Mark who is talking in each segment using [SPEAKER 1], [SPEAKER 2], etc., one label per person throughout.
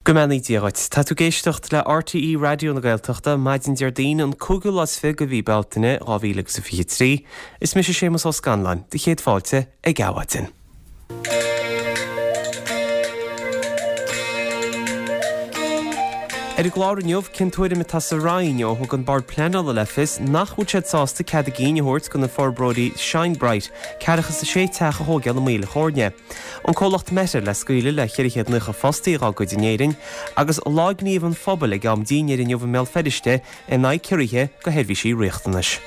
[SPEAKER 1] Go mbeannaí Dia dhuit. Tá tú ag éisteacht le RTÉ Raidió na Gaeltachta, maidin Déardaoin an cúigiú lá is 20 de mhí Bealtaine 2023. Is mise Séamus Ó Scanláin, do chéad fáilte ag Adhmhaidin. Ar an gclár inniu, cén tuairim atá sa Roinn ó thug an Bord Pleanála le fios nach bhfuil siad sásta cead a gcinn a thabhairt do na forbróirí Shine Bright ceathracha is a sé teach a thóigeáil i Maoil a' Chóirne. An comhlacht Meta le scaoileadh le 490 fostaí dhá gcuid in Éirinn, agus Lá Gníomh an Phobail ag am dínnéir inniu i mBéal Feirste in aghaidh ciorruithe go sheirbhísí riachtanais.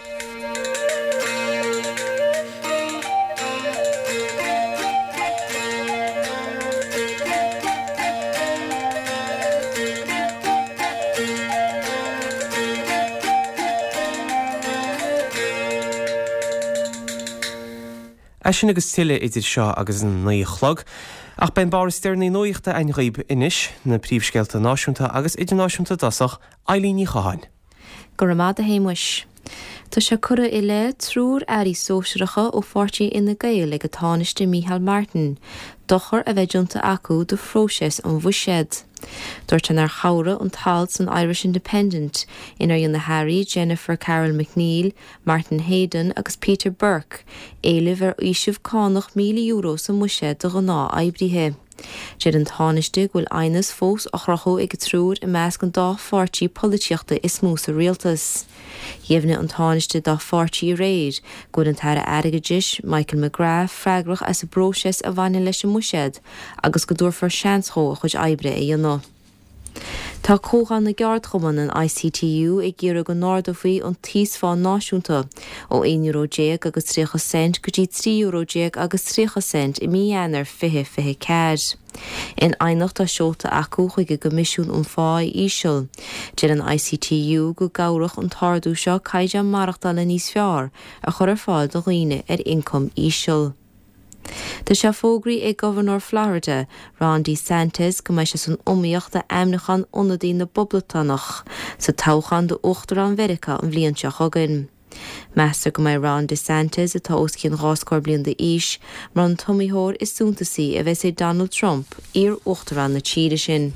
[SPEAKER 1] É sin agus tuilleadh idir seo agus an 9 a chlog. Ach beidh an barr is deireanaí nuachta againn dhaoib anois, na príomhscéalta náisiúnta agus idirnáisiúnta i dtosach, Eilín Ní Chatháin.
[SPEAKER 2] Go raibh maith agat a Shéamuis. Tá sé curtha i leith triúr airí sóisearacha ó pháirtí Fhine Gael ag an Tánaiste Micheál Martin dochar a bheith déanta acu do phróiseas an bhuiséid. Dúirt sé nár chabhraigh an t-alt san Irish Independent inar dhein na hairí Jennifer Carroll MacNeill, Martin Heydon agus Peter Burke éilimh ar fhaoiseamh cánach €1,000 sa mbuiséad do ghnáth-oibrithe. Deir an Tánaiste go bhfuil aighneas fós á chruthú ag an triúr i measc an dá pháirtí polaitíochta is mó sa rialtas. Dheimhnigh an Tánaiste dá pháirtí aréir go bhfuil an tAire Airgeadais, Michael McGrath, freagrach as an bpróiseas a bhaineann leis an mbuiséad agus go dtabharfar seans dhó a chuid oibre a dhéanamh. Tá Comhdháil na gCeardchumann, an ICTU, ag iarraidh go n-ardófaí an t-íosphá náisiúnta ó €11 euro agus 30 cent go dtí €13 euro agus 30 cent i mí Eanáir 2024. In aighneacht atá seolta acu chuig an gCoimisiún um Phá Íseal, deir an ICTU go gcabhródh an t-ardú seo caighdeán maireachtála níos fearr a chur ar fáil do dhaoine ar ioncam íseal. Tá sé fógraithe ag Gobharnóir Florida, Ron DeSantis, go mbeidh sé san iomaíocht d'ainmniúchán ionadaí na bPoblachtánach sa toghchán d'Uachtarán Mheiriceá an bhliain seo chugainn. Meastar go mbeidh Ron DeSantis, atá os cionn dhá scór bliain d'aois, mar an t-iomaitheoir is suntasaí a bheas ag Donald Trump, iar-uachtarán na tíre sin.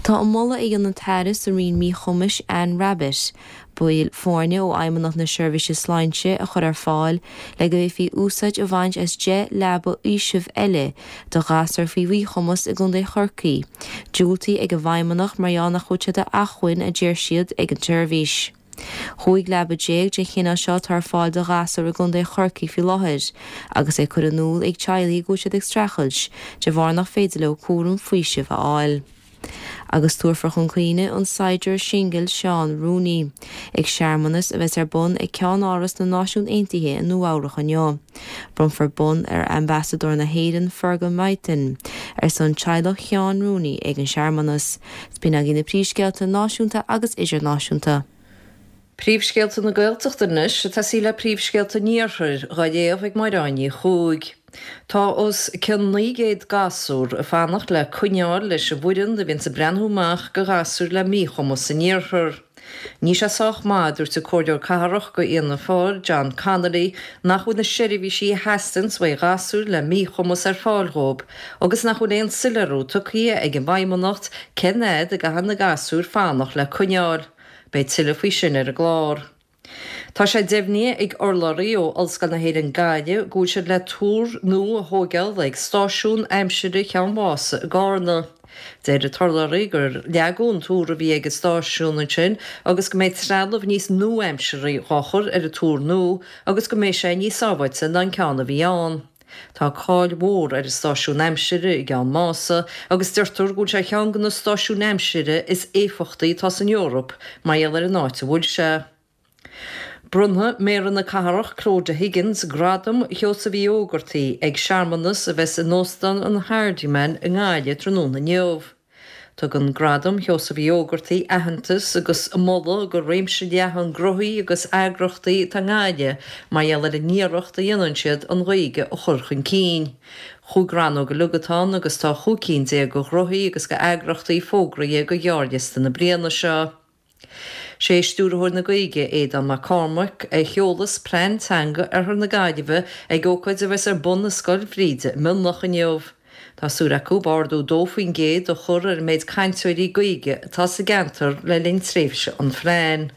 [SPEAKER 2] Tá an moladh a dhein an tAire sa Roinn Míchumais, Anne Rabbitte, baill foirne ó Fheidhmeannacht na Seirbhíse Sláinte a chur ar fáil le go bhféadfaí úsáid a bhaint as 10 leaba fhaoisimh eile do ghasúir faoi mhíchumas i gContae Chorcaí, diúltaithe ag an bhFeidhmeannacht mar gheall nach bhfuil sé d'acmhainn, a deir siad, ag an tseirbhís. 15 leaba den chineál seo atá ar fáil do ghasúir i gContae Chorcaí faoi láthair agus é curtha in iúl ag teaghlaigh go bhfuil siad ag streachailt de bharr nach féidir leo cúram faoisimh a fháil. Agus tabharfar chun cuimhne an saighdiúir singil Seán Rooney ag searmanas a bheas ar bun ag Ceann-Áras na Náisiún Aontaithe i Nua-Eabhrac inniu. Bronnfar bonn ar Ambasadóir na hÉireann Fergal Mythen ar son teaghlach Sheáin Rooney ag an searmanas. B'in agaibh na príomhscéalta náisiúnta agus idirnáisiúnta.
[SPEAKER 3] Príomhscéalta na Gaeltachta anois, ag tosaí le príomhscéalta an Iarthair, dhá léamh ag Máire Áine Ní Chuaig. Tá os cionn 900 gasúr ag fanacht le coinneáil leis an bhfoireann a bhíonns ag breathnú amach go ghasúir le míchumas san iarthar. Níl sé sách maith, a dúirt an Comhairleoir Cathrach go Fhianna Fáil, John Connolly, nach bhfuil na seirbhísí a theastaíonns uaidh ghasúir le míchumas ar fáil dhóibh agus nach bhfuil aon soiléiriú tugtha ag an bhFeidhmeannacht cén fhad a gcaithfidh na gasúir fanacht le coinneáil. Beidh tuilleadh faoi sin ar an gclár. Tá sé deimhnithe ag urlabhraí ó Ollscoil na hÉireann Gaillimh go bhfuil siad le túr nua a thóigeáil ag stáisiún aimsire Cheann Mhása i gCarna. Deir an t-urlabhraí gur leagadh an túr a bhí ag an stáisiún ansin agus go mbeidh trealamh níos nua-aimsearthaí dhá chur ar an túr nua agus go mbeidh sé níos sábháilte ná an ceann a bhí ann. Tá cáil mhór ar an stáisiún aimsire i gCeann Mása agus deirtear go bhfuil sé ar cheann de na stáisiúin aimsire is éifeachtaí atá san Eoraip mar gheall ar an áit a bhfuil sé. Bronnfaidh Méara na Cathrach Clodagh Higgins Gradam Sheosaimh Uí Ógartaigh ag searmanas a bheas in Óstán an Hardiman i nGaillimh tráthnóna inniu. Tugann Gradam Sheosaimh Uí Ógartaigh aitheantas agus moladh go réimse leathan gnóthaí agus eagrachtaí atá i nGaillimh mar gheall ar an iarracht a dhéanann siad an Ghaeilge a chur chun cinn. Chúig rannóg uilig atá ann agus tá 15 cinn de ghnóthaí agus de eagrachtaí fógraithe go ghearrliosta na bliana seo. Sé Stiúrthóir na Gaeilge, Aodán Mac Cormaic, a sheolas Plean Teanga Oirthear na Gaillimhe ag ócáid a bheas ar bun i Scoil Bhríde i Mionlach inniu. Tá súil acu ardú 2% a chur ar an méid cainteoirí Gaeilge atá sa gceantar le linn tréimhse an phlean.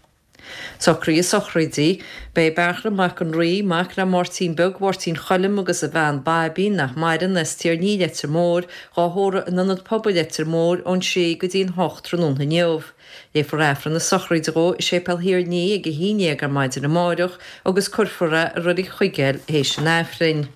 [SPEAKER 3] Socruithe sochraide. Beidh Beartla Mac an Rí, mac le Máirtín Beag Mháirtín Choilm agus a bhean Baibín, nach maireann, as Tír Ní, Leitir Móir, dhá thórramh in Ionad Pobail Leitir Móir ón sé go dtí an hocht tráthnóna inniu. Léifear Aifreann na sochraide dhó i Séipéal Thír Ní ag a haon dhéag ar maidin amáireach agus cuirfear é i Reilig Chuigéil théis an Aifrinn.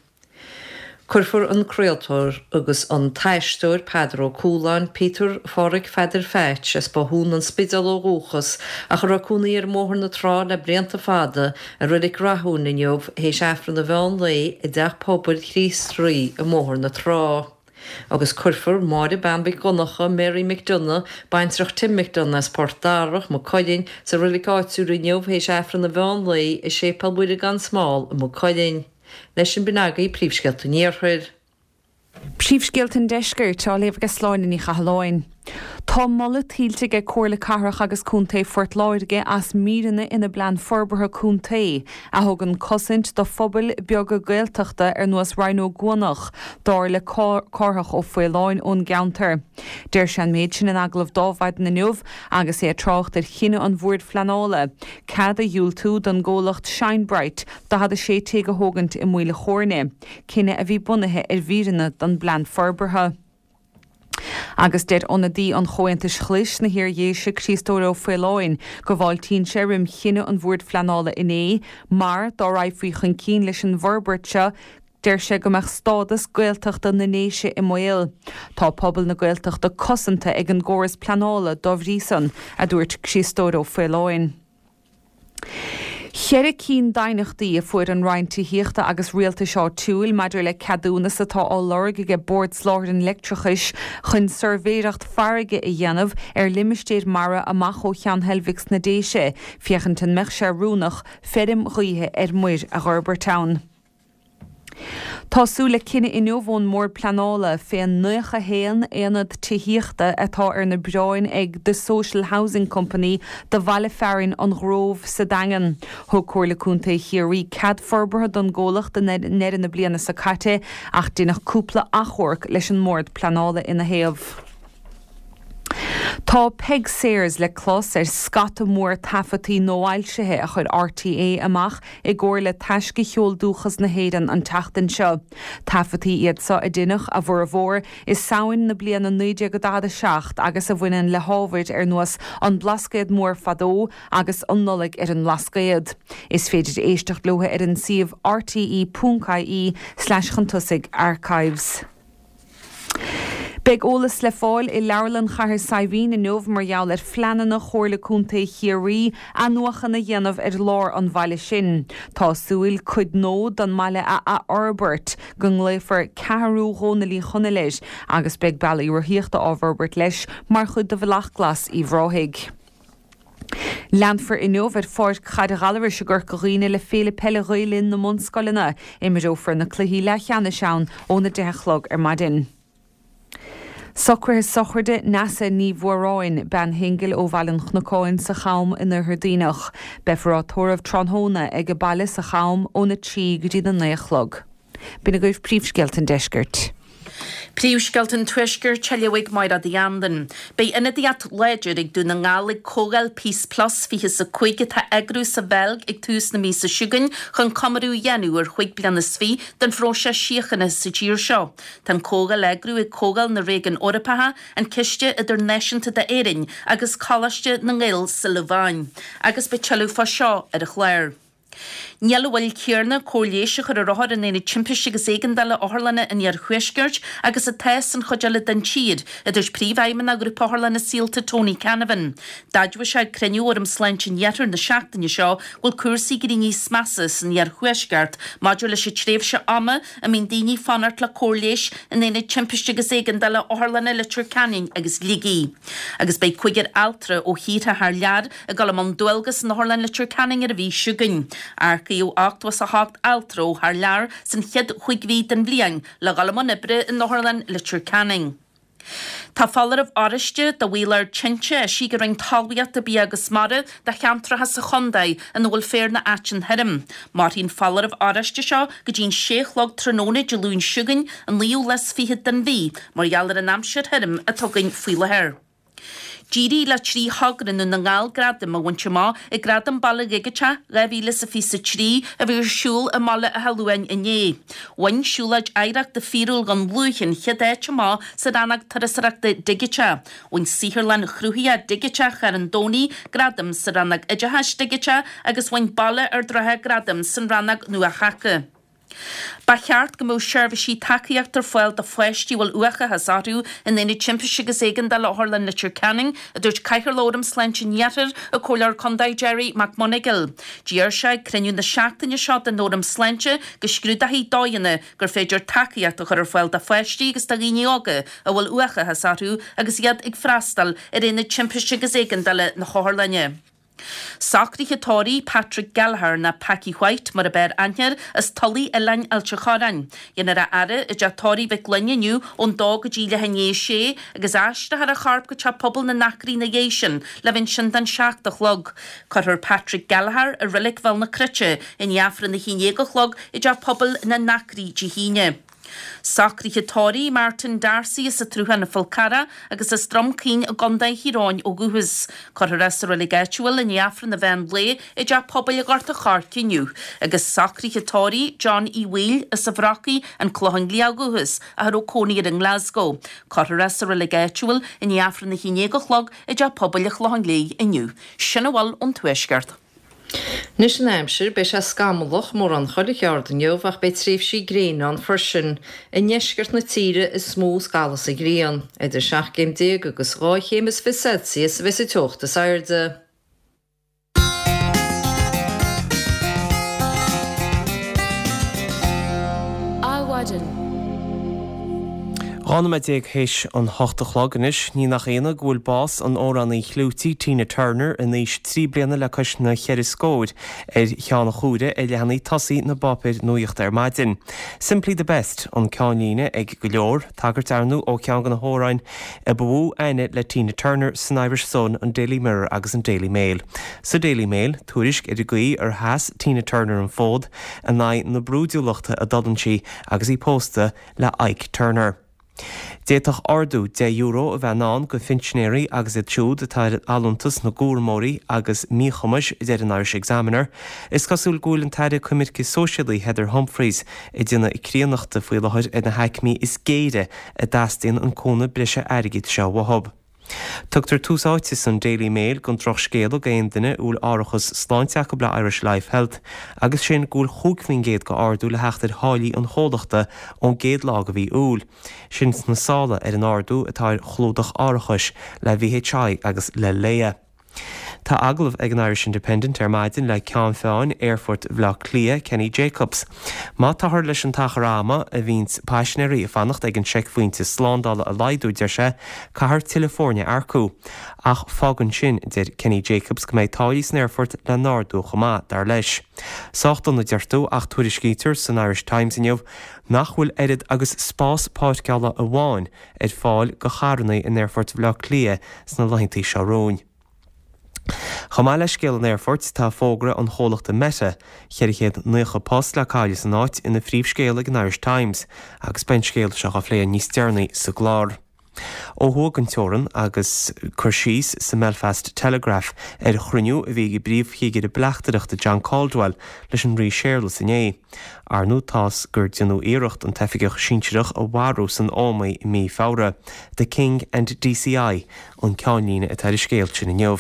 [SPEAKER 3] Cuirfear an craoltóir agus an t-aisteoir Peadar Ó Cualáin, Peter Pháraic Pheadair Pheaits, as Bothún an Spidéil ó dhúchas ach a raibh cónaí air i mBóthar na Trá le blianta fada, i Reilig Rathúin inniu théis Aifreann an mheán lae i dTeach Pobail Chríost Rí i mBóthar na Trá. Agus cuirfear Máire Bean Mhic Dhonncha, Mary McDonagh, baintreach Tim McDonagh as Port Darach, Maigh Cuilinn, sa reilig áitiúil inniu théis Aifreann an mheán lae i Séipéal Mhuire gan Smál i Maigh Cuilinn. Leis sin b'in agaibh príomhscéalta an Iarthair.
[SPEAKER 4] Príomhscéalta an Deiscirt á léamh ag Sláine Ní Chathalláin. Tá moladh tuillte aige Comhairle Cathrach agus Contae Phort Láirge as míreanna ina bPlean Forbartha Contae a thugann cosaint do phobail beaga Gaeltachta ar nós Rinn Ó gCuanach, dar le Cárthach Ó Faoláin ón gceantar. Deir sé an méid sin in agallamh do Adhmhaidin inniu agus é ag trácht ar chinneadh an Bhoird Phleanála cead a dhiúltú don gcomhlacht Shine Bright 46 tigh a thógaint i Maoil a' Chóirne, cinneadh a bhí bunaithe ar mhíreanna den bPlean Forbartha. Agus deir ionadaí an Chomhaontais Ghlais sna hIar-Dhéise, Criostóir Ó Faoláin, go bhfáiltíonn sé roim chinneadh an Bhoird Phleanála inné, mar, dá raghfaí chun cinn leis an bhforbairt seo, deir sé go mbeadh stádas Gaeltachta na nDéise i mbaol. Tá pobal na Gaeltachta cosanta ag an gcóras pleanála dá bhrí san, a dúirt Criostóir Ó Faoláin. Cheithre cinn d'aighneachtaí a fuair an Roinn Tithíochta agus Rialtais Áitiúil maidir le ceadúnas atá á lorg aige Bord Soláthair an Leictreachais chun suirbhéireacht farraige a dhéanamh ar limistéir mara amach ó Cheann Heilbhic sna Déise féachaint an mbeadh sé oiriúnach feirm ghaoithe ar muir a dh'fhorbairt ann. Tá súil le cinneadh inniu ón mBord Pleanála fén 91 aonad tithíochta atá ar na bioráin ag The Social Housing Company do bhaile fearainn An Ghrove sa Daingean. Thug Comhairle Contae Chiarraí cead forbartha don gcomhlacht i ndeireadh na bliana seo caite ach deineadh cúpla achomharc leis an mBord Pleanála ina thaobh. Tá Peig Sayers le clos ar scata mór taifeadtaí nuafhoilsithe a chuir RTÉ amach i gcomhar le Taisce Cheol Dúchas na hÉireann an tseachtain seo. Taifeadtaí iad seo a deineadh, a bhformhór, i Samhain na bliana 1947 agus a bhaineann le hábhair ar nós An Blascaod Mór Fadó agus An Nollaig ar an mBlascaod. Is féidir éisteacht leo ar an suíomh rte.ie slash chun tosaigh archives. Beidh eolas le fáil i Leabharlann Chathair Saidhbhín inniu mar gheall ar phleananna Chomhairle Contae Chiarraí athnuachan a dhéanamh ar lár an bhaile sin. Tá súil cuid nua den mbaile a athfhorbairt, go nglaofar Ceathrú Dhónaill Uí Chonaill air, agus beidh bealaí rothaíochta á bhforbairt leis mar chuid de Bhealach Glas Uíbh Ráthaigh. Leanfar inniu ar Pháirc Chaide Ghallarais i gCorca Dhuibhne le Féile Peile Ghael Linn na mBunscoileanna. Imreofar na cluichí leathcheannais ann óna 10 a chlog ar maidin. Socruithe sochraide Neasa Ní Mhóráin, bean shingil ó Bhaile an Chnocáin sa Cham in Oirthear Duibhneach. Beifear á tórramh tráthnóna ag a baile sa Cham óna 3 go dtí na 9 a chlog. B'in agaibh príomhscéalta an deiscirt.
[SPEAKER 5] Príomhscéalta an Tuaiscirt á léamh ag Máire Uí Anluain. Beidh ionadaíocht láidir ag Dún na nGall ag Comhdháil Peace Plus 25 atá á eagrú sa Bheilg ag tús na míosa seo chugainn chun comóradh a dhéanamh ar chúig bliana is fiche den phróiseas síochána sa tír seo. Tá an Comhdháil á eagrú ag Comhdháil na Réigiún Eorpacha, an Ciste Idirnáisiúnta d'Éirinn agus Coláiste na nGael sa Lobháin. Agus beidh tuilleadh fá seo ar an chlár. Níl an mhoill chéanna cóir leighis a chur ar othair in Aonad Timpiste agus Éigeandála Otharlanna an Iarthuaiscirt agus atá san chuid eile den tír, a dúirt Príomhfheidhmeannach Ghrúpa Otharlanna Saolta Tony Canavan. D'admhaigh sé ag cruinniú Fhóram Sláinte an Iarthair na seachtaine seo go bhfuil cúrsaí ag éirí níos measa san iarthuaisceart maidir leis an tréimhse ama a mbíonn daoine ag fanacht le cóir leighis in Aonaid Timpiste agus Éigeandála Otharlanna Leitir Ceanainn agus Shligigh. Agus beidh cúigear altra ó thíortha thar lear ag dul i mbun dualgas in Otharlann Leitir Ceanainn ar an mhí seo chugainn. Earcaíodh 88 altra ó thar lear san chéad chúig mhí den bhliain le dhul i mbun oibre in Otharlann Leitir Ceanainn. Tá foláireamh oráiste do bhaol ard tinte eisithe ag an Roinn Talmhaíochta, Bia agus Mara do cheantracha sa chontae ina bhfuil féar nó aiteann thirim. Mairfidh an foláireamh oráiste seo go dtí'n sé a chlog tráthnóna Dé Luain seo chugainn, an naoú lá is fichead den mhí, mar gheall ar an aimsir thirim atá againn faoi láthair. D'éirigh le 3 thogra i nDún na nGall gradaim a bhaint amach ag Gradaim Baile Dhigiteach 2023 a bhí ar siúl i mBaile Átha Luain inné. Bhain Siúlóid Oidhreachta Fíorúil Dhún Lúiche an chéad áit amach sa rannóg Turasóireachta Digiteach. Bhain Saotharlann Chruthaitheach Dhigiteach Charn Domhnaigh gradam sa rannóg Oideachais Dhigiteach agus bhain Baile Ard Rátha gradam san rannóg Nua-Thaca. Ba cheart go mbeadh seirbhísí tacaíochta ar fáil do pháistí a bhfuil uathachas orthu in Aonad Timpiste agus Éigeandála Otharlann Leitir Ceanainn, a dúirt Cathaoirleach Fhóram Sláinte an Iarthair, an Comhairleoir Contae Gerry McMonagall. D'iarr sé ag cruinniú na seachtaine seo den Fhóram Sláinte go scrúdófaí dóigheanna gur féidir tacaíocht a chur ar fáil do pháistí agus do dhaoine óga a bhfuil uathachas orthu agus iad ag freastal ar Aonad Timpiste agus Éigeandála na hOtharlainne. Socruithe tórraimh Patrick Gallagher, nó Packie White mar ab fhearr aithne air, as Tulaigh Oileáin Ailt an Chorráin. Dhéanfar a fhaire i dteach tórraimh Mhic Fhloinn inniu ón dó go dtí leath i ndiaidh a sé agus aistreofar a chorp go teach pobail na nAcraí ina dhiaidh sin le bheith ansin don seacht a chlog. Cuirfear Patrick Gallagher i Reilig Bhéal na Cruite i ndiaidh Aifreann a haon déag a chlog i dteach pobail na nAcraí Dé hAoine. Socruithe tórraimh Martin D'Arcy as an tSruthán an Fál Carrach agus as Droim Caoin i gContae Thír Eoghain ó dhúchas. Cuirfear é sa reilig áitiúil i ndiaidh Aifreann an mheán lae i dTeach Pobail Ghort an Choirce inniu. Agus socruithe tórraimh John Uí Bhaoill as an Bhrocaigh, An Clochán Liath ó dhúchas, ach a raibh cónaí air i nGlasgow. Cuirfear é sa reilig áitiúil i ndiaidh Aifreann a haon déag a chlog i dTeach Pobail an Chlocháin Léith inniu. Sin a bhfuil ón Tuaisceart.
[SPEAKER 3] Anois an aimsir, beidh sé scamallach mórán chuile cheard inniu ach beidh tréimhsí gréine ann freisin. I ndeisceart na tíre is mó a scalfas an ghrian. Idir 17 gcéim agus 2 chéim is 20 Celsius a bheas an teocht is airde.
[SPEAKER 1] Adhmhaidin. 12 nóiméad théis an hocht a chlog anois. Ní nach ionadh go bhfuil bás an amhránaí chlúitigh Tina Turner in aois trí bliana le cois na cheithre scóir ar cheann an chomhaire ar leathanaigh tosaigh na bpáipéir nuaíochta ar maidin. Simply the Best an ceannlíne ag go leor, tagairt ar ndóigh ó cheann de na hamhráin a ba mhó aithne le Tina Turner san Irish Sun, an Daily Mirror agus an Daily Mail. Sa Daily Mail, tuairisc ar an gcaoi ar sheas Tina Turner an fód in aghaidh na brúidiúlachta a d'fhulaing sí agus í pósta le Ike Turner. D'fhéadfadh ardú €10 a bheith i ndán go phinsinéirí agus iad siúd atá ar allúntas na gcúramóirí agus míchumais, a deir an Irish Examiner. Is cosúil go bhfuil an tAire Coimirce Sóisialaí Heather Humphreys ag déanamh críonnachta faoi láthair ar na haicmí is géire a dteastaíonn an cúnamh breise airgid seo uathu. Tugtar tús áite san Daily Mail don drochscéala go aon duine a bhfuil árachas sláinte acu le Irish Life Health agus sin go bhfuil 5% go ardú le theacht ar tháillí an chomhlachta ón gcéad lá go mhí Iúil. Sin sna sála ar an ardú atá ar chlúdach árachais le VHI agus le Laya. Tá agallamh ag an Irish Independent ar maidin le Ceann Feadhain Aerfort Bhaile Átha Cliath, Kenny Jacobs. Má táthar leis an t-achar ama a bhíonns paisinéirí ag fanacht ag an seicphointe slándála a laghdú, deir sé, caithfear tuilleadh foirne a earcú. Ach fágann sin, deir Kenny Jacobs, go mbeidh táillí san aerfort le n-ardú chomh maith, dar leis. Sách dona deir tú, ach tuairiscítear san Irish Times inniu nach bhfuil oiread agus spás páirceála amháin ar fáil go charrannaí in Aerfort Bhaile Átha Cliath sna laethanta seo romhainn. Chomh maith le scéal an aerfoirt, tá fógra an chomhlachta Meta, 490 post le cailleadh san áit, ina phríomhscéal ag an Irish Times agus beidh an scéal seo á phlé níos deireanaí sa gclár. Ó thuaidh den teorann agus cur síos sa mBelfast Telegraph ar chruinniú a bhí ag an bPríomh-Chigire Bleachtaireachta John Caldwell leis an Rí Séarlas inné. Ar ndóigh tá's gur déanadh iarracht an t-oifigeach sinsearach a mharú san Ómaigh i mí Feabhra. The King and DCI an ceannlíne atá ar an scéal sin inniu.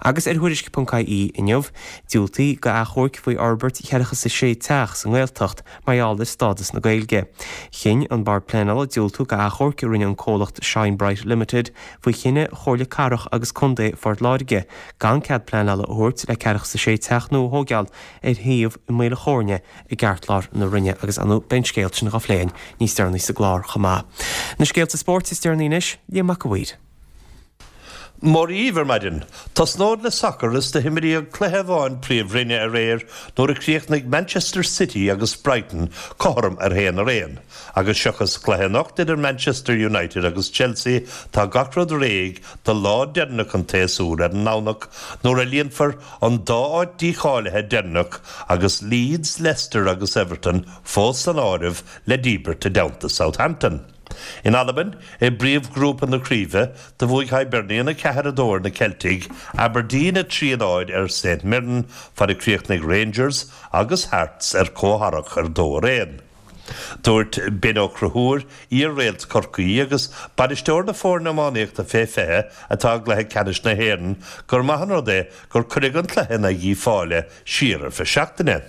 [SPEAKER 1] Agus ar Thuairisc.ie inniu, diúltaithe go achomhairc faoi fhorbairt cheathracha is a sé teach sa nGaeltacht mar gheall ar stádas na Gaeilge. Chinn an Bord Pleanála diúltú go achomhairc a rinne an comhlacht Shine Bright Limited faoi chinneadh Chomhairle Cathrach agus Contae Phort Láirge gan cead pleanála a thabhairt le ceathracha is a sé teach nua a thóigeáil ar shuíomh i Maol an Chóirne i gceartlár na Rinne agus ar ndóigh beidh an scéal sin dhá phlé againn níos deireanaí sa gclár chomh maith. Na scéalta spóirt is deireanaí anois, Liam Mac a' Mhaoir.
[SPEAKER 6] Mora dhíbh ar maidin. Tosnód le sacar is do himríodh cluiche amháin Príomhroinne aréir nuair a chríochnaigh Manchester City agus Brighton cothrom ar haon ar aon. Agus seachas cluiche anocht idir Manchester United agus Chelsea tá gach rud réidh do lá deireanach an tséasúir ar an nDomhnach nuair a líonfar an dá áit dícháilithe deireanach agus Leeds, Leicester agus Everton fós san áireamh le díbirt i dteannta Southampton. In Albain, i bpríomhghrúpa na craoibhe, do bhuaigh Hibernian 4, 2 ar na Ceiltigh, Aberdeen 3, 0 ar St Mirren, fad a chríochnaigh Rangers agus Hearts ar comhtharrac ar 2 ar 1. Dúirt Ben Ó Conchúir, iar-réalt Chorcaí agus bainisteoir na foirne iománaíochta fé 20 atá i gcluiche ceannais na hÉireann, gur maith an rud é gur cuireadh an cluiche in aghaidh Uíbh Fhailí siar ar feadh seachtaine.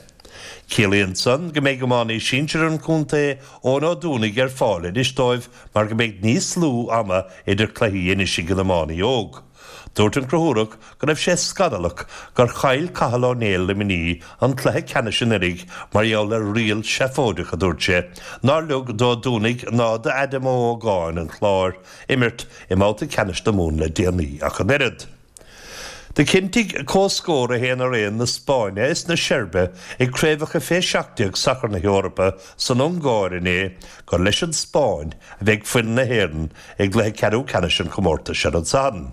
[SPEAKER 6] Ciallaíonn san go mbeidh iománaí sinsir an chontae, Eoin Ó Dúnaigh, ar fáil anois dóibh mar go mbeidh níos lú ama idir cluichí anois ag an iománaí óg. Dúirt an Conchúrach go raibh sé scannalach gur chaill Cathal Ó Néill Luimnigh an cluiche ceannais anuraidh mar gheall ar riail seafóideach, a dúirt sé, nár leag d'Ó Dúnaigh ná d'Adam Ó hÓgáin an Chláir imirt i mbabhta ceannais na Mumhan le déanaí ach an oiread. Do chinntigh comhscór 1 ar 1 na Spáinne is na Seirbe ag Craobhacha Fé 17 Sacair na hEorpa san Ungáir inné gur leis an Spáinn a bheidh foireann na hÉireann i gcluiche ceathrú ceannais an chomórtais ar an Satharn.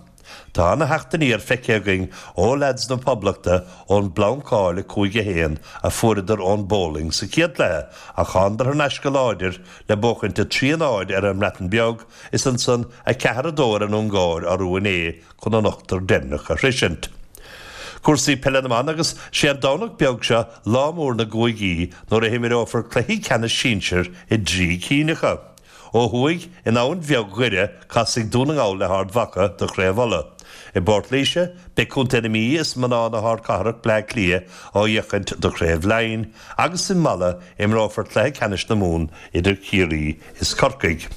[SPEAKER 6] Tá ana-theacht aniar feicthe againn ó leaids na Poblachta ón bplancáil 5-1 a fuaireadar ón bPólainn sa chéad chluiche ach thánadar thar n-ais go láidir le buachaint 3-0 ar an mBreatain Bheag is ansan 4-2 ar an Ungáir arú inné chun an ochtar deireanach a shroisint. Cúrsaí peile na mban agus sé an Domhnach beag seo lá mór na gcúigí nuair a himreofar cluichí ceannais sinsir i dtrí cinn acu. Ó thuaidh, in Abhainn Bheag Dhoire, casfaidh Dún na nGall le hArd Mhacha do Chraobh Uladh. I bPort Laoise, beidh Contae na Mí is mná na hardchathrach Bleá Cliath á fhéachaint do Chraobh Laighin agus i Mala imreofar cluiche ceannais na Mumhan idir Ciarraí is Corcaigh.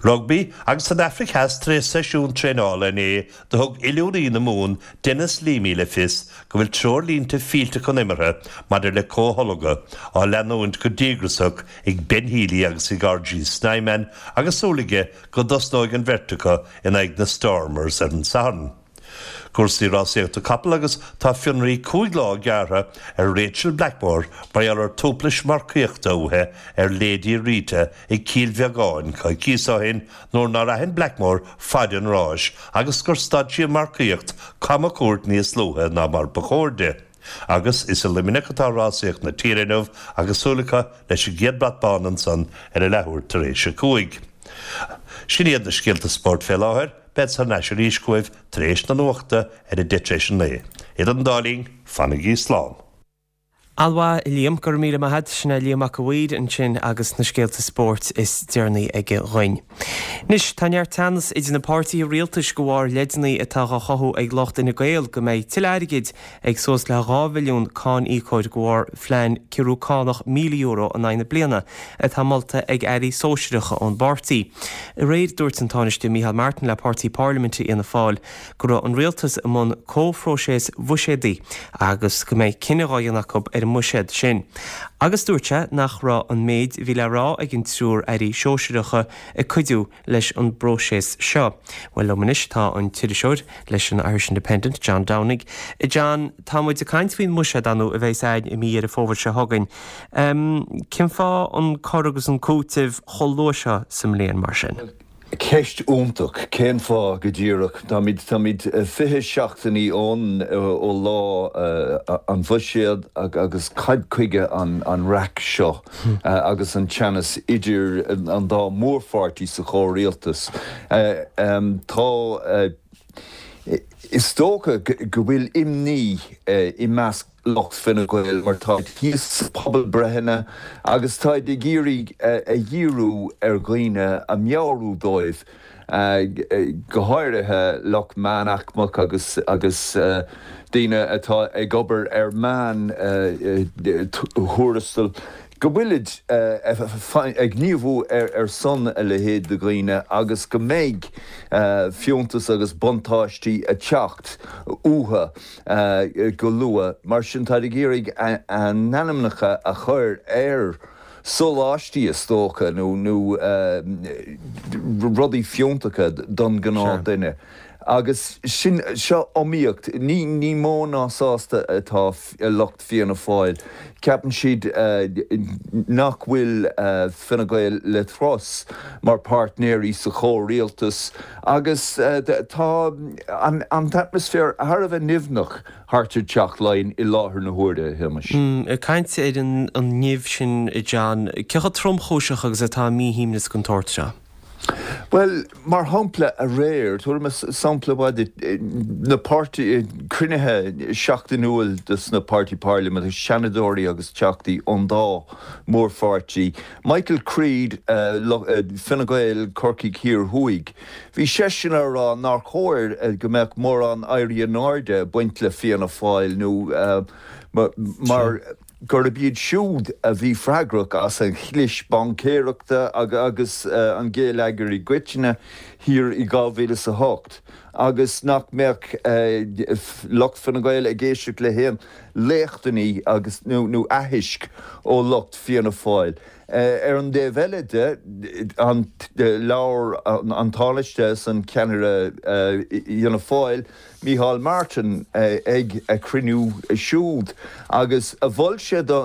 [SPEAKER 6] Rugbaí agus san Afraic Theas tar éis seisiún traenála inné do thug oiliúnaí na Mumhan Denis Leamy le fios go bhfuil treoirlínte fillteacha an imeartha maidir le comhtholgadh á leanúint go díograsach ag Ben Healy agus ag RG Snyman agus súil aige go dtosnóidh an bheirt acu in aghaidh na Stormers ar an Satharn. Cúrsaí rásaíochta capall agus tá fionraí 5 lá gearrtha ar Rachael Blackmore mar gheall ar tuaiplis marcaíochta uaithi ar Lady Rita ag Cill Bheagáin coicíos ó shin nuair nár aithin Blackmore faid an ráis agus gur stad sí an mharcaíocht camchuairt níos luaithe ná mar ba chóir di. Agus is i Luimneach atá rásaíocht na tíre inniu agus súil acu leis an gcéad brat bán ansan ar a leathuair tar éis a 5. Sin iad na scéalta spóirt fé láthair. Bead thar n-ais arís chugaibh tar éis na nuachta ar a 9:10 tar éis a 9. Idir an dá linn, fanaigí slán.
[SPEAKER 1] An-mhaith, a Liam, go raibh míle maith a't. Sin é Liam Mac a' Mhaoir ansin agus na scéalta spóirt is deireanaí aige dhuinn. Anois, tá neart teannas idir na páirtithe rialtais de bharr leideanna atá dhá chothú ag lucht Fhine Gael go mbeidh tuilleadh airgid ag suas le 2 mhilliún cáin-íocóir de bharr phlean ciorrú cánach €1,000 in aghaidh na bliana atá molta ag airí sóisearacha ón bpáirtí. Aréir dúirt an Tánaiste Micheál Martin le páirtí parlaiminte Fhianna Fáil go raibh an rialtas i mbun comhphróiseas bhuiséadaigh agus go mbeidh cinneadh á dhéanamh acu ar an mbuiséad sin. Agus dúirt sé nach raibh an méid a bhí le rá ag an triúr airí sóisearacha ag cuidiú leis an bpróiseas seo. Bhuel, liom anois tá an t-iriseoir leis an Irish Independent, John Downing. A John, tá muid ag caint faoin mbuiséad, ar ndóigh, a bheas againn i mí Dheireadh Fómhair seo chugainn. Cén fáth an cur agus an cúiteamh chomh luath seo sa mbliain, mar sin?
[SPEAKER 7] Ceist iontach. Cén fáth go díreach? Táimid, táimid 20 seachtainí ón, ó lá an bhuiséad agus cad chuige an, an raic seo? agus an teannas idir an dá mhórpháirtí sa chomhrialtas. Tá, is dócha go bhfuil imní i measc lucht Fine Gael mar táid thíos sna pobalbreitheanna agus táid ag iarraidh a dhíriú ar dhaoine, a meabhrú dóibh go háirithe lucht meánaicmeach agus agus daoine atá ag obair ar meán thuarastal, go bhfuilid ag gníomhú ar son a leithéid de dhaoine agus go mbeidh fiúntas agus buntáistí ag teacht uathu go luath. Mar sin, táid ag iarraidh a n-ainmneacha a chur ar sóláistí is dócha, nó rudaí fiúntacha don ghnáth duine. Agus sin, seo iomaíocht. Ní, ní mó ná sásta atá lucht Fianna Fáil. Ceapann siad nach bhfuil Fine Gael le trust mar páirtnéirí sa chomhrialtas agus tá an an t-atmaisféar thar a bheith nimhneach thart ar Teach Laighean i láthair na huaire, a Shéamais.
[SPEAKER 1] Ag caint ar an nimh sin, a John, cé chomh tromchúiseach agus atá míshuaimhneas den tsórt seo?
[SPEAKER 7] Bhuel, mar shampla aréir, tabharfaidh mé sampla amháin duit, na páirtí, cruinnithe seachtainiúil dos na páirtí parlaiminte, seanadóirí agus teachtaí ón dá mhórpháirtí, Michael Creed, Fine Gael, Corcaigh Thiar Thuaidh, bhí seisean á rá nár chóir go mbeadh mórán éirí in airde ag baint le Fianna Fáil nó mar. gurb iad siúd a bhí freagrach as an chlis baincéireachta agus an géilleagar i gcoitinne thiar i 2008 agus nach mbeadh lucht Fine Gael ag éisteacht le haon léachtanna agus nó aithisc ó lucht Fianna Fáil. Ar an dtaobh eile de, labhair an Tánaiste is an ceannaire Fhianna Fáil, Micheál Martin ag a chruinniú siúd agus mhol sé do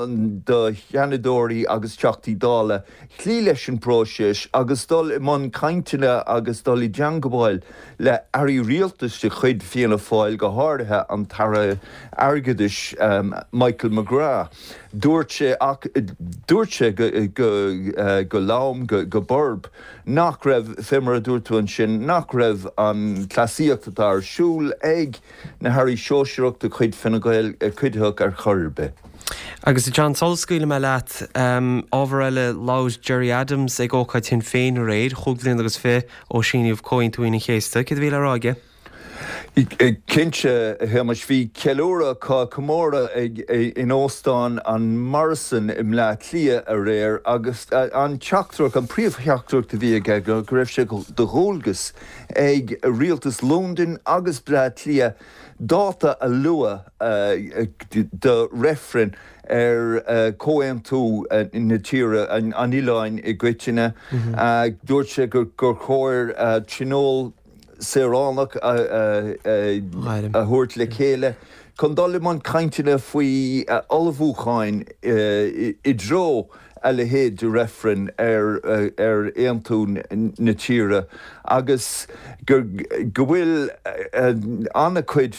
[SPEAKER 7] Sheanadóirí agus Teachtaí Dála cloí leis an bpróiseas agus dul i mbun cainteanna agus dul i dteangmháil le hairí rialtais de chuid Fianna Fáil, go háirithe an tAire Airgeadais Michael McGrath. Dúirt sé ach dúirt sé go lom, go borb, nach raibh, fé mar a dúirt tú ansin, nach raibh an cleasaíocht atá ar siúl ag na hairí sóisearach de chuid Fine Gael cuiditheach ar chor ar bith.
[SPEAKER 1] Agus a John, sula scaoilfidh mé leat, ábhar eile, labhair Gerry Adams ag ócáid Shinn Féin aréir, chúig bhliana agus fiche ó síníodh Comhaontú Aoine an Chéasta. Céard a bhí le rá aige?
[SPEAKER 7] Cinnte, a Shéamais, bhí ceiliúradh, comóradh ag in Óstán an Murrison i mBleá Cliath aréir agus an teachtaireacht, an príomhtheachtaireacht a bhí aige ná go raibh sé de dhualgas ag rialtas Londain agus Bleá Cliath dáta a lua do reifreann ar chomhaontú na tíre, an oileáin i gcoitinne. Dúirt sé gur chóir tionól saoránach a thabhairt le chéile chun dul i mbun cainteanna faoi ullmhúcháin i dtreo a leithéid de reifreann ar aontú na tíre agus go bhfuil an-chuid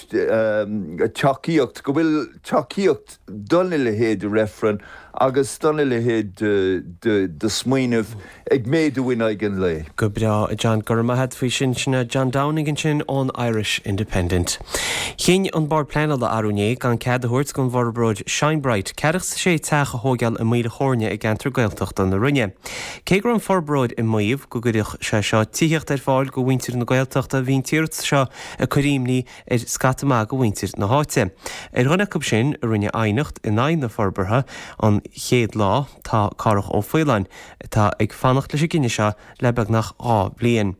[SPEAKER 7] tacaíocht, go bhfuil tacaíocht dona leithéid de reifreann agus dona leithéid de smaoineamh ag méadú in aghaidh an lae.
[SPEAKER 1] Go breá, a John. Go raibh maith a't faoi sin. Sin é John Downing ansin ón Irish Independent. Chinn an Bord Pleanála arú inné gan cead a thabhairt don bhforbróir Shinebright ceathracha 's a sé teach a thóigeáil i Maoil a' Chóirne i gceantar Gaeltachta na Rinne. Cé go raibh an forbróir ag maíomh go gcuirfeadh sé seo tithíocht ar fáil do mhuintir na Gaeltachta bhí an t-iarratas seo ag cur imní ar scata maith de mhuintir na háite. Ar dhuine acu sin a rinne aighneacht in aghaidh na forbartha an chéad lá tá Cárthach Ó Faoláin, atá ag fanacht leis an gcinneadh seo le beagnach 2 bhliain.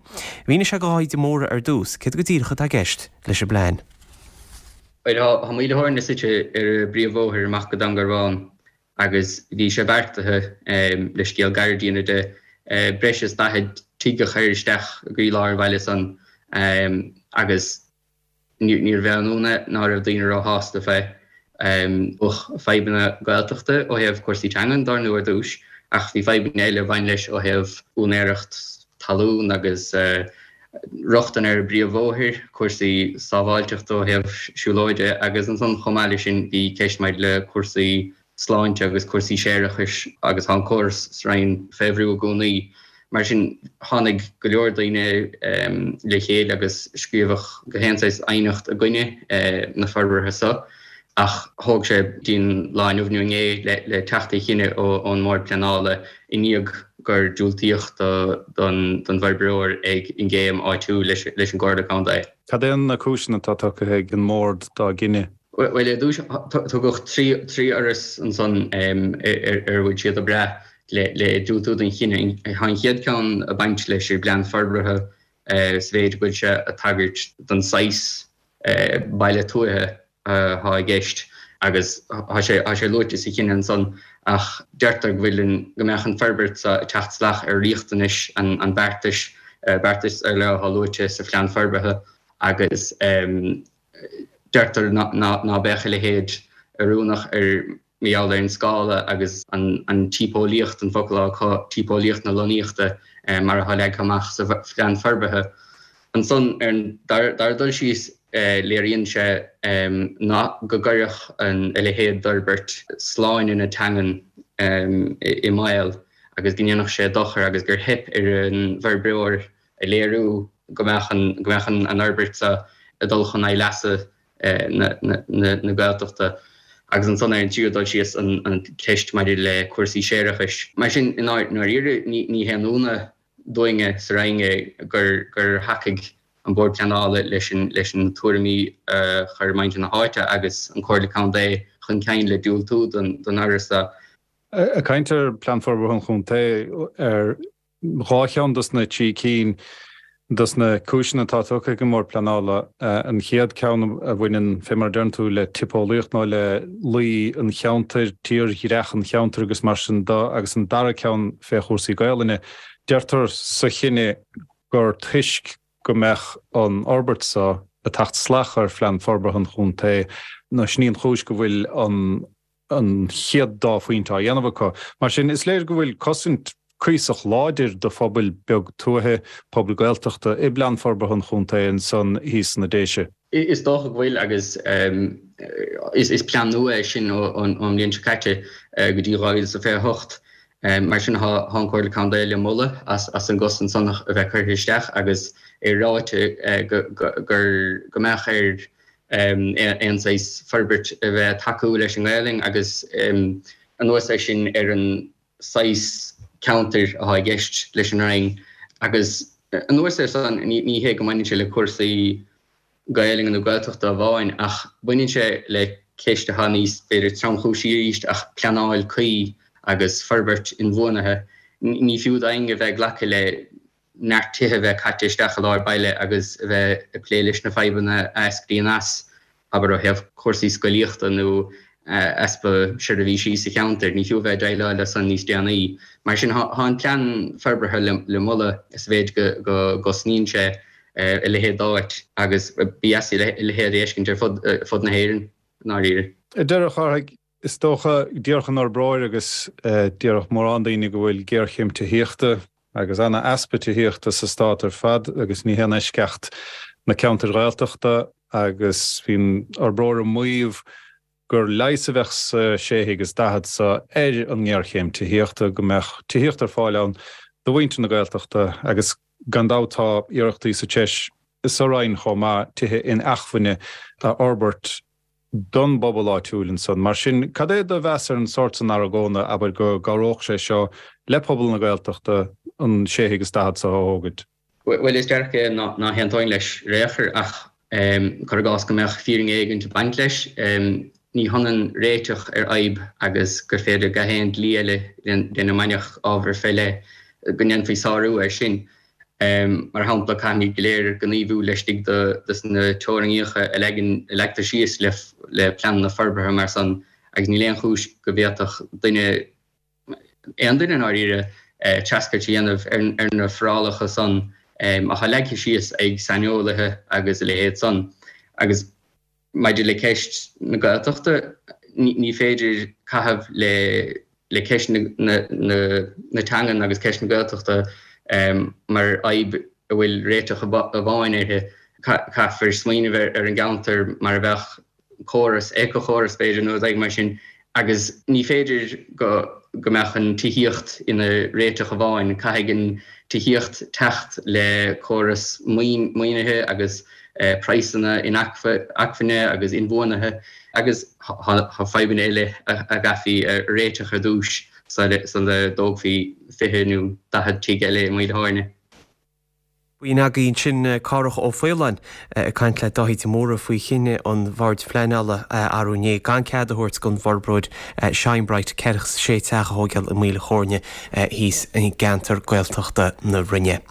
[SPEAKER 1] Mhínigh sé do Dháithí de Mórdha ar dtús céard go díreach atá i gceist leis an bplean.
[SPEAKER 8] Bhuel, tá Maoil a' Chóirne suite ar an bpríomhbhóthar amach go Dún Garbhán agus bhí sé beartaithe, le scéal gairid a dhéanamh de, breis is 40 tigh a chur isteach i gcroílár an bhaile san agus níorbh aon ionadh ná raibh daoine róshásta fé. Bheadh fadhbanna Gaeltachta ó thaobh cúrsaí teangan dár ndóigh ar dtús ach bhí fadhbanna eile a bhain leis ó thaobh úinéireacht talún agus rochtain ar an bpríomhbhóthar, cúrsaí sábháilteachta ó thaobh siúlóide agus ansan chomh maith leis sin bhí ceist maidir le cúrsaí sláinte agus cúrsaí séarachais agus tá an córas sa Rinn fé bhrú i gcónaí. Mar sin tháinig go leor daoine le chéile agus scríobhadh gach aon saghas aighneacht i gcoinne na forbartha so. Ach thóg sé go dtí an lá inniu nó inné le teacht ar chinneadh ón mBord Pleanála i ndiaidh gur diúltaíodh don bhforbróir ag an gcéim áitiúil leis an gComhairle Contae.
[SPEAKER 9] Cad é na cúiseanna atá tugtha ag an mBord dá gcinneadh?
[SPEAKER 8] Bhuel, ar dtús, tugadh 3 fhoras ansan ar a bhfuil siad ag brath le diúltú don chinneadh. Tá an chéad ceann ag baint leis an bplean forbartha sa mhéid go bhfuil sé ag tagairt don saghas baile tuaithe atá i gceist agus tá sé tá sé luaite sa chinneadh ansan ach deirtear go bhfuil an go mbeadh an forbairt seo ag teacht salach ar riachtanais an an beartais, beartais ar leith atá luaite sa phlean forbartha. Agus deirtear ná beadh a leithéid oiriúnach ar mar gheall ar an scála agus an típeolaíocht, an focal atá acu, típeolaíocht na lonnaíochta mar atá leagtha amach sa phlean forbartha. Ansan, ar an dara dul síos, léiríonn sé ná go gcuirfeadh a leithéid d'fhorbairt sláine na teangan i mbaol agus go ndéanfadh sé dochar agus gur theip ar an bhforbróir a léiriú go mbeadh an go mbeadh an fhorbairt seo ag dul chun aghaidh leasa na Gaeltachta. Agus ansan ar an tríú dul síos an cheist maidir le cúrsaí séarachais. Mar sin, i ndáiríre, ní haon ionadh dúinne sa Roinn é gur gur thacaigh an Bord Pleanála leis an leis na tuairimí a chuir muintir na háite agus an Comhairle Contae chun cinn le diúltú don don fhoras seo.
[SPEAKER 9] Ag caint ar Plean Forbartha an Chontae, ar 2 cheann dos na 3 cinn dos na cúiseanna atá tugtha ag an mBord Pleanála. An chéad ceann a bhaineann, fé mar a deireann tú, le tipeolaíocht nó le luí an cheantair, tírdhreach an cheantair agus mar sin de, agus an dara ceann fé chúrsaí Gaelainne. Deirtear sa chinneadh gur toisc go mbeadh an fhorbairt seo ag teacht salach ar Phlean Forbartha an Chontae, nó sin í an chúis go bhfuil an an chéad dá phointe á dhéanamh acu. Mar sin, is léir go bhfuil cosaint cuíosach láidir do phobail beag tuaithe, pobail Gaeltachta, i bPlean Forbartha an Chontae ansan thíos sna Déise.
[SPEAKER 8] Is dócha go bhfuil agus is plean nua é sin ón mbliain seo caite go dtí 2028. Mar sin tá an Chomhairle Contae le moladh as an gcosaint san a bheith curtha isteach agus é ráite go go mbeadh ar aon saghas forbairt a bheith ag tacú leis an nGaelainn agus anuas air sin ar an saghas ceantair atá i gceist leis an Roinn agus anuas air san ní hé go mbaineann sé le cúrsaí Gaelainne nó Gaeltachta amháin ach baineann sé le ceist atá níos b'fhéidir tromchúisí arís ach pleanáil cuí agus forbairt inbhuanaithe. Ní fiú d'éinne a bheith ag glacadh le neart tithe a bheith caite isteach i lár baile agus a bheith ag plé leis na fadhbanna a eascraíonn as, abair ó thaobh cúrsaí scolaíochta nó easpa seirbhísí sa cheantar. Ní fiú a bheith ag déileáil leo san níos déanaí. Mar sin, tá an plean forbartha le moladh sa mhéid go gcosnaíonn sé a leithéid d'áit agus ba dheas a leithéid a fheiscint ar fud na hÉireann, i ndáiríre.
[SPEAKER 9] Ar deireadh, a Chárthaigh, Is dócha, déarfadh an fhorbróir agus déarfadh mórán daoine go bhfuil géarchéim tithíochta agus ana-easpa tithíochta sa stát ar fad agus ní haon eisceacht na ceantair Ghaeltachta agus bhí an fhorbróir ag maíomh gur leigheas a bheadh sa sé thigh is 40 seo ar an ngéarchéim tithíochta, go mbeadh tithíocht ar fáil ann do mhuintir na Gaeltachta agus gan dabht tá iarrachtaí sa treis sa Roinn chomh maith tithe inacmhainne a fhorbairt don bpobal áitiúil ansan. Mar sin, cad é do mheas ar an sórt san argóna, abair, go gcabhródh sé seo le pobal na Gaeltachta an sé thigh is 40 seo a thógaint?
[SPEAKER 8] Bhuel, is dearcadh é ná haontóinn leis ar aon chor, ach cuir i gcás go mbeadh fírinne éigint ag baint leis, ní hionann réiteach ar fhadhb agus gur féidir gach aon dlí eile lena mbainfeadh ábhar fé leith, go ndéanfaí sárú air sin. Mar shampla, caithfimid go léir gníomhú laistigh de na teorainneacha a leagtar síos le pleananna forbartha mar san agus níl aon chúis go bhféadfadh duine, aon duine i ndáiríre, treascairt a dhéanamh ar na forálacha san atá leagtha síos ag saineolaithe agus a leithéid san. Agus. Maidir le ceist na Gaeltachta, ní féidir caitheamh le ceist na teangan agus ceist na Gaeltachta mar fhadhb a bhfuil réiteach amháin uirthi. Caithfear smaoineamh ar an gceantar mar a bheadh córas, éiceachóras b'fhéidir nó rud éigin mar sin agus ní féidir go go mbeadh an tithíocht ina réiteach amháin. Caithfidh an tithíocht teacht le córas maoinithe agus praghsanna inacmhainne agus inbhuanaithe agus tá fadhbanna eile a gcaithfí a réiteach ar dtús sula dtógfaí 20 nó 40 tigh eile i Maoil Tháirne.
[SPEAKER 1] B'in againn ansin Cárthach Ó Faoláin ag caint le Dáithí de Mórdha faoi chinneadh an Bhoird Phleanála arú inné gan cead a thabhairt don bhforbróir Shine Bright 46 teach a thóigeáil i Maoil Chóirne thíos i gceantar Gaeltachta na Rinne.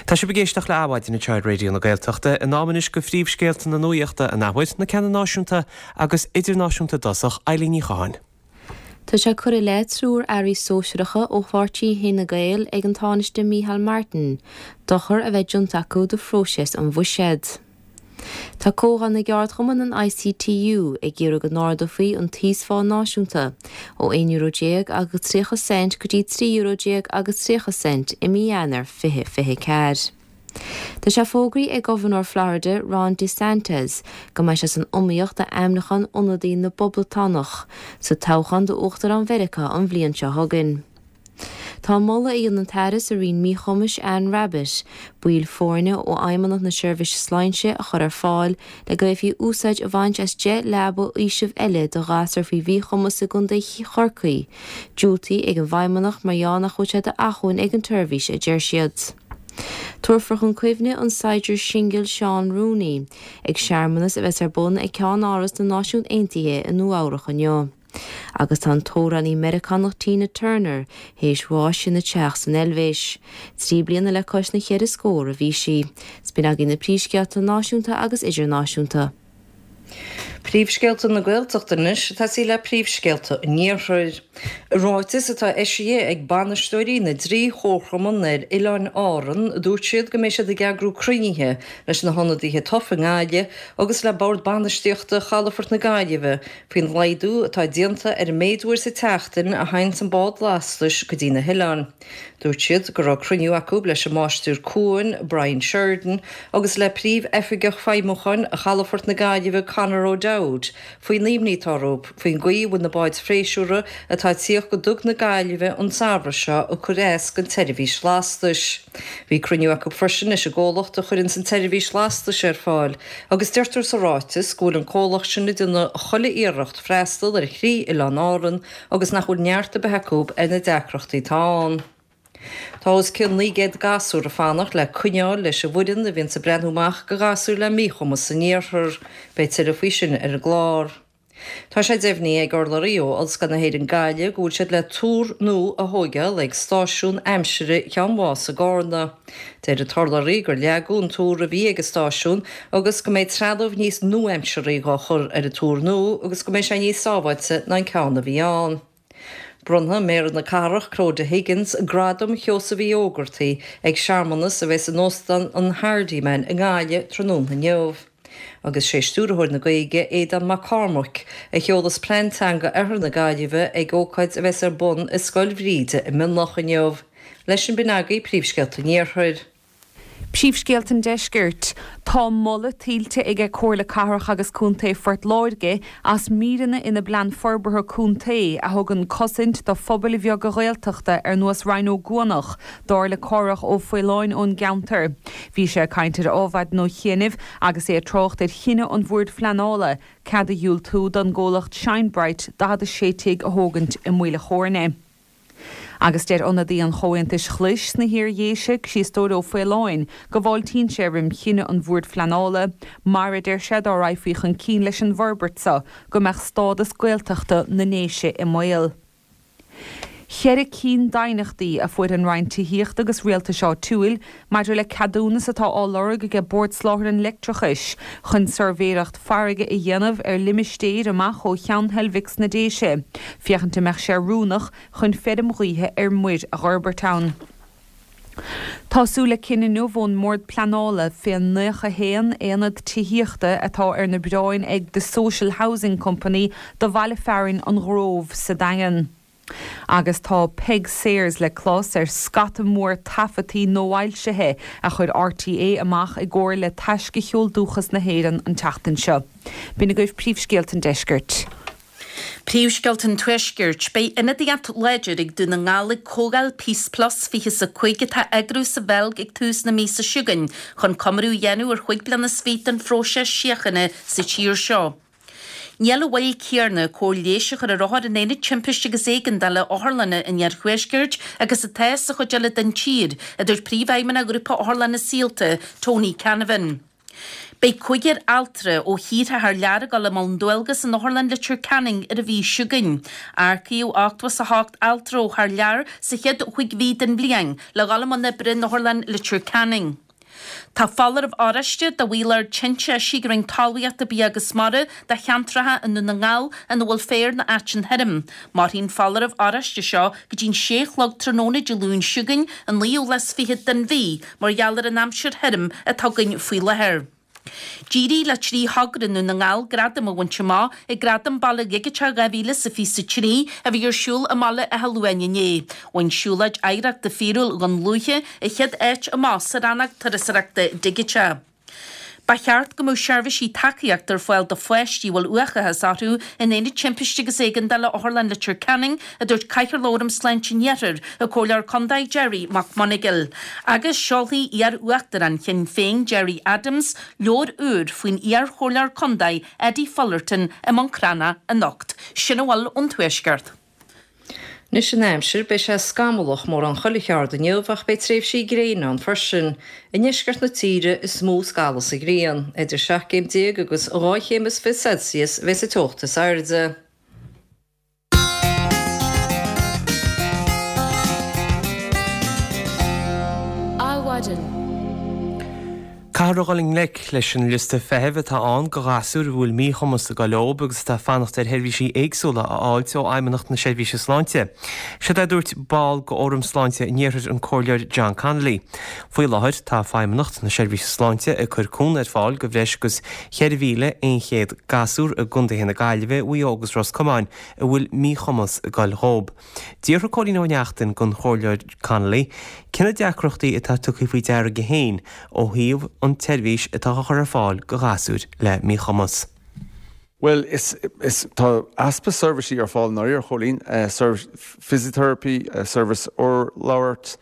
[SPEAKER 1] Tá sibh ag éisteacht le Adhmhaidin anseo ar Raidió na Gaeltachta. In am anois do phríomhscéalta na nuachta an athuair, na ceanna náisiúnta agus idirnáisiúnta i dtosach, Eilín Ní Chatháin.
[SPEAKER 2] Tá sé curtha i leith triúr airí sóisearacha ó pháirtí Fhine Gael ag an Tánaiste Micheál Martin dochar a bheith déanta acu do phróiseas an bhuiséid. Tá Comhdháil na gCeardchumann an ICTU ag iarraidh go n-ardófaí an t-íosphá náisiúnta ó €11 euro agus 30 cent go dtí €13 euro agus 30 cent i mí Eanáir 2024. Tá sé fógraithe ag Gobharnóir Florida Ron DeSantis go mbeidh sé san iomaíocht d'ainmniúchán ionadaí na bPoblachtánach sa toghchán d'Uachtarán Mheiriceá an bhliain seo chugainn. Tá an moladh a dhein an tAire sa Roinn Míchumais Anne Rabbitte baill foirne ó Fheidhmeannacht na Seirbhíse Sláinte a chur ar fáil le go bhféadfaí úsáid a bhaint as 10 leaba fhaoisimh eile do ghasúir faoi mhíchumas i gContae Chorcaí, diúltaithe ag an bhFeidhmeannacht mar gheall nach bhfuil sé d'acmhainn ag an tseirbhís a deir siad. Tabharfar chun cuimhne an saighdiúir singil Seán Rooney ag searmanas a bheas ar bun ag Ceann-Áras na Náisiún Aontaithe i Nua Eabhrach inniu. Agus tá an t-amhránaí Meiriceánach Tina Turner théis bháis ina teach san Eilvéis. 3 bliana le cois na cheithre scór a bhí sí. 'S b'in agaibh na príomhscéalta náisiúnta agus idirnáisiúnta.
[SPEAKER 3] Príomhscéalta na Gaeltachta anois ag tosaí le príomhscéalta an Iarthair. I ráiteas atá eisithe ag bainisteoirí na dtrí chomharchumann ar Oileáin Árann, dúirt siad go mbeidh siad ag eagrú cruinnithe leis na hionadaithe tofa i nGaillimh agus le Bord Bainistíochta Chalafort na Gaillimhe faoin laghdú atá déanta ar an méid uair sa tseachtain a théanns an bád lastais go dtí na hoileáin. Dúirt siad go raibh cruinniú acu leis an Máistir Cuain, Brian Sheridan, agus le Príomh-Oifigeach Feidhmiúcháin Chalafort na Gaillimhe Conor O'Dowd faoin imní atá orthu faoin gcaoi a bhfuil na báid phléisiúrtha atá ag tíocht go Duga na Gaillimhe an samhradh seo ag cur as don tseirbhís lastais. Bhí cruinniú acu freisin leis an gcomhlacht a chuireanns an tseirbhís lastais ar fáil agus deirtear sa ráiteas go bhfuil an comhlacht sin ag déanamh chuile iarracht freastal ar thrí oileán Árann agus nach bhfuil neart ar bith acu ar na deacrachtaí atá ann. Tá os cionn 900 gasúr ag fanacht le coinneáil leis an bhfoireann a bhíonns ag breathnú amach do ghasúir le míchumas san iarthar. Beidh tuilleadh faoi sin ar an gclár. Tá sé deimhnithe ag urlabhraí ó Ollscoil na hÉireann Gaillimh go bhfuil siad le túr nua a thóigeáil ag stáisiún aimsire Cheann Mhása i gCarna. Deir an t-urlabhraí gur leagadh an túr a bhí ag an stáisiún agus go mbeidh trealamh níos nua-aimsearthaí dhá chur ar an túr nua agus go mbeidh sé níos sábháilte ná an ceann a bhí ann. Bronnfaidh Méara na Cathrach, Clodagh Higgins, Gradam Sheosaimh Uí Ógartaigh ag searmanas a bheas in Óstán an Hardiman i nGaillimh tráthnóna inniu. Agus sé Stiúrthóir na Gaeilge, Aodán Mac Cormaic, a sheolas Plean Teanga Oirthear na Gaillimhe ag ócáid a bheas ar bun i Scoil Bhríde i Mionlach inniu. Leis sin b'in agaibh príomhscéalta an Iarthair.
[SPEAKER 4] Príomhscéalta an Deiscirt. Tá moladh tuillte aige Comhairle Cathrach agus Contae Phort Láirge as míreanna ina bPlean Forbartha Contae a thugann cosaint do phobail bheaga Ghaeltachta ar nós Rinn Ó gCuanach, dar le Cárthach Ó Faoláin ón gceantar. Bhí sé ag caint ar Adhmhaidin ó chianaibh agus é ag trácht ar chinneadh an Bhoird Phleanála cead a dhiúltú don gcomhlacht Shine Bright 46 tigh a thógaint i Maoil a' Chóirne. Agus deir ionadaí an Chomhaontais Ghlais sna hIar-Dhéise, Criostóir Ó Faoláin, go bhfáiltíonn sé roim chinneadh an Bhoird Phleanála, mar, a deir sé, dá raghfaí chun cinn leis an bhforbairt seo, go mbeadh stádas Gaeltachta na nDéise i mbaol. Cheithre cinn d'aighneachtaí a fuair an Roinn Tithíochta agus Rialtais Áitiúil maidir le ceadúnas atá á lorg aige Bord Soláthair an Leictreachais chun suirbhéireacht farraige a dhéanamh ar limistéir amach ó Cheann Heilbhic sna Déise, féachaint an mbeadh sé oiriúnach chun feirm ghaoithe ar muir a dh'fhorbairt ann. Tá súil le cinneadh inniu ón mBord Pleanála fén 91 aonad tithíochta atá ar na bioráin ag The Social Housing Company do bhaile fearainn An Ghrove sa Daingean. Agus tá Peig Sayers le clos ar scata mór taifeadtaí nuafhoilsithe a chuir RTÉ amach i gcomhar le Taisce Cheol Dúchas na hÉireann an tseachtain seo. B'in agaibh príomhscéalta an deiscirt.
[SPEAKER 5] Príomhscéalta an Tuaiscirt. Beidh ionadaíocht láidir ag Dún na nGall ag Comhdháil Peace Plus 25 atá á eagrú sa Bheilg ag tús na míosa seo chugainn chun comóradh a dhéanamh ar chúig bliana is fiche den phróiseas síochána sa tír seo. Níl an mhoill céanna cóir leighis a chur ar othair in aonad timpiste agus éigeandála otharlanna an iarthuaiscirt agus atá sa chuid eile den tír, a dúirt Príomhfheidhmeannach Ghrúpa Otharlanna Saolta, Tony Canavan. Beidh cúigear altra ó thíortha thar lear ag dul i mbun dualgas in Otharlann Leitir Ceanainn ar an mhí seo chugainn. Earcaíodh 88 altra ó thar lear sa chéad chúig mhí den bhliain le dhul i mbun oibre in Otharlann Leitir Ceanainn. Tá foláireamh oráiste do bhaol ard tinte eisithe ag an Roinn Talmhaíochta, Bia agus Mara do cheantracha i nDún na nGall ina bhfuil féar nó aiteann thirim. Mairfidh an foláireamh oráiste seo go dtí'n sé a chlog tráthnóna Dé Luain seo chugainn, an naoú lá is fichead den mhí, mar gheall ar an aimsir thirim atá againn faoi láthair. D'éirigh le 3 thogra i nDún na nGall gradam a bhaint amach ag Gradaim Baile Dhigiteach 2023 a bhí ar siúl i mBaile Átha Luain inné. Bhain Siúlóid Oidhreachta Fíorúil Dhún Lúiche an chéad áit amach sa rannóg Turasóireachta Digití. Ba cheart go mbeadh seirbhísí tacaíochta ar fáil do pháistí a bhfuil uathachas orthu in Aonad Timpiste agus Éigeandála Otharlann Leitir Ceanainn, a dúirt Cathaoirleach Fhóram Sláinte an Iarthair, an Comhairleoir Contae Gerry Mac Monagail. Agus seolfaidh iar-uachtarán Shinn Féin Gerry Adams leabhar úr faoin iar-chomhairleoir contae Eddie Fullerton i mBun Cranncha anocht. Sin a bhfuil ón Tuaisceart.
[SPEAKER 3] Anois an aimsir, beidh sé scamallach mórán chuile cheard inniu ach beidh tréimhsí gréine ann freisin. I ndeisceart na tíre is mó a scalfas an ghrian. Idir 17 céim agus 2 chéim is 20 Celsius a bheas an teocht is airde.
[SPEAKER 1] Adhmhaidin. Caithfear a dhul i ngleic leis an liosta feithimh atá ann do ghasúir a bhfuil míchumas ag dul leob agus atá ag fanacht ar sheirbhísí éagsúla a fháilt ó Fheidhmeannacht na Seirbhíse Sláinte. Siod é a dúirt ball de Fhóram Sláinte an Iarthair an Comhairleoir John Connolly. Faoi láthair tá Feidhmeannacht na Seirbhíse Sláinte ag cur cúnamh ar fáil do bhreis agus 4,100 gasúr i gcontaetha na Gaillimhe, Mhaigh Eo agus Ros Comáin a bhfuil míchumas ag dul dhób. D'fhiafraigh Cóilín Ó Neachtain den Chomhairleoir Connolly cé na deacrachtaí atá tugtha faoi deara aige féin ó thaobh an tseirbhís atá á chur ar fáil do ghasúir le míchumas.
[SPEAKER 10] Bhuel, is, is, tá easpa seirbhísí ar fáil i ndáiríre, a Chóilín, physiotherapy, seirbhís urlabhairt,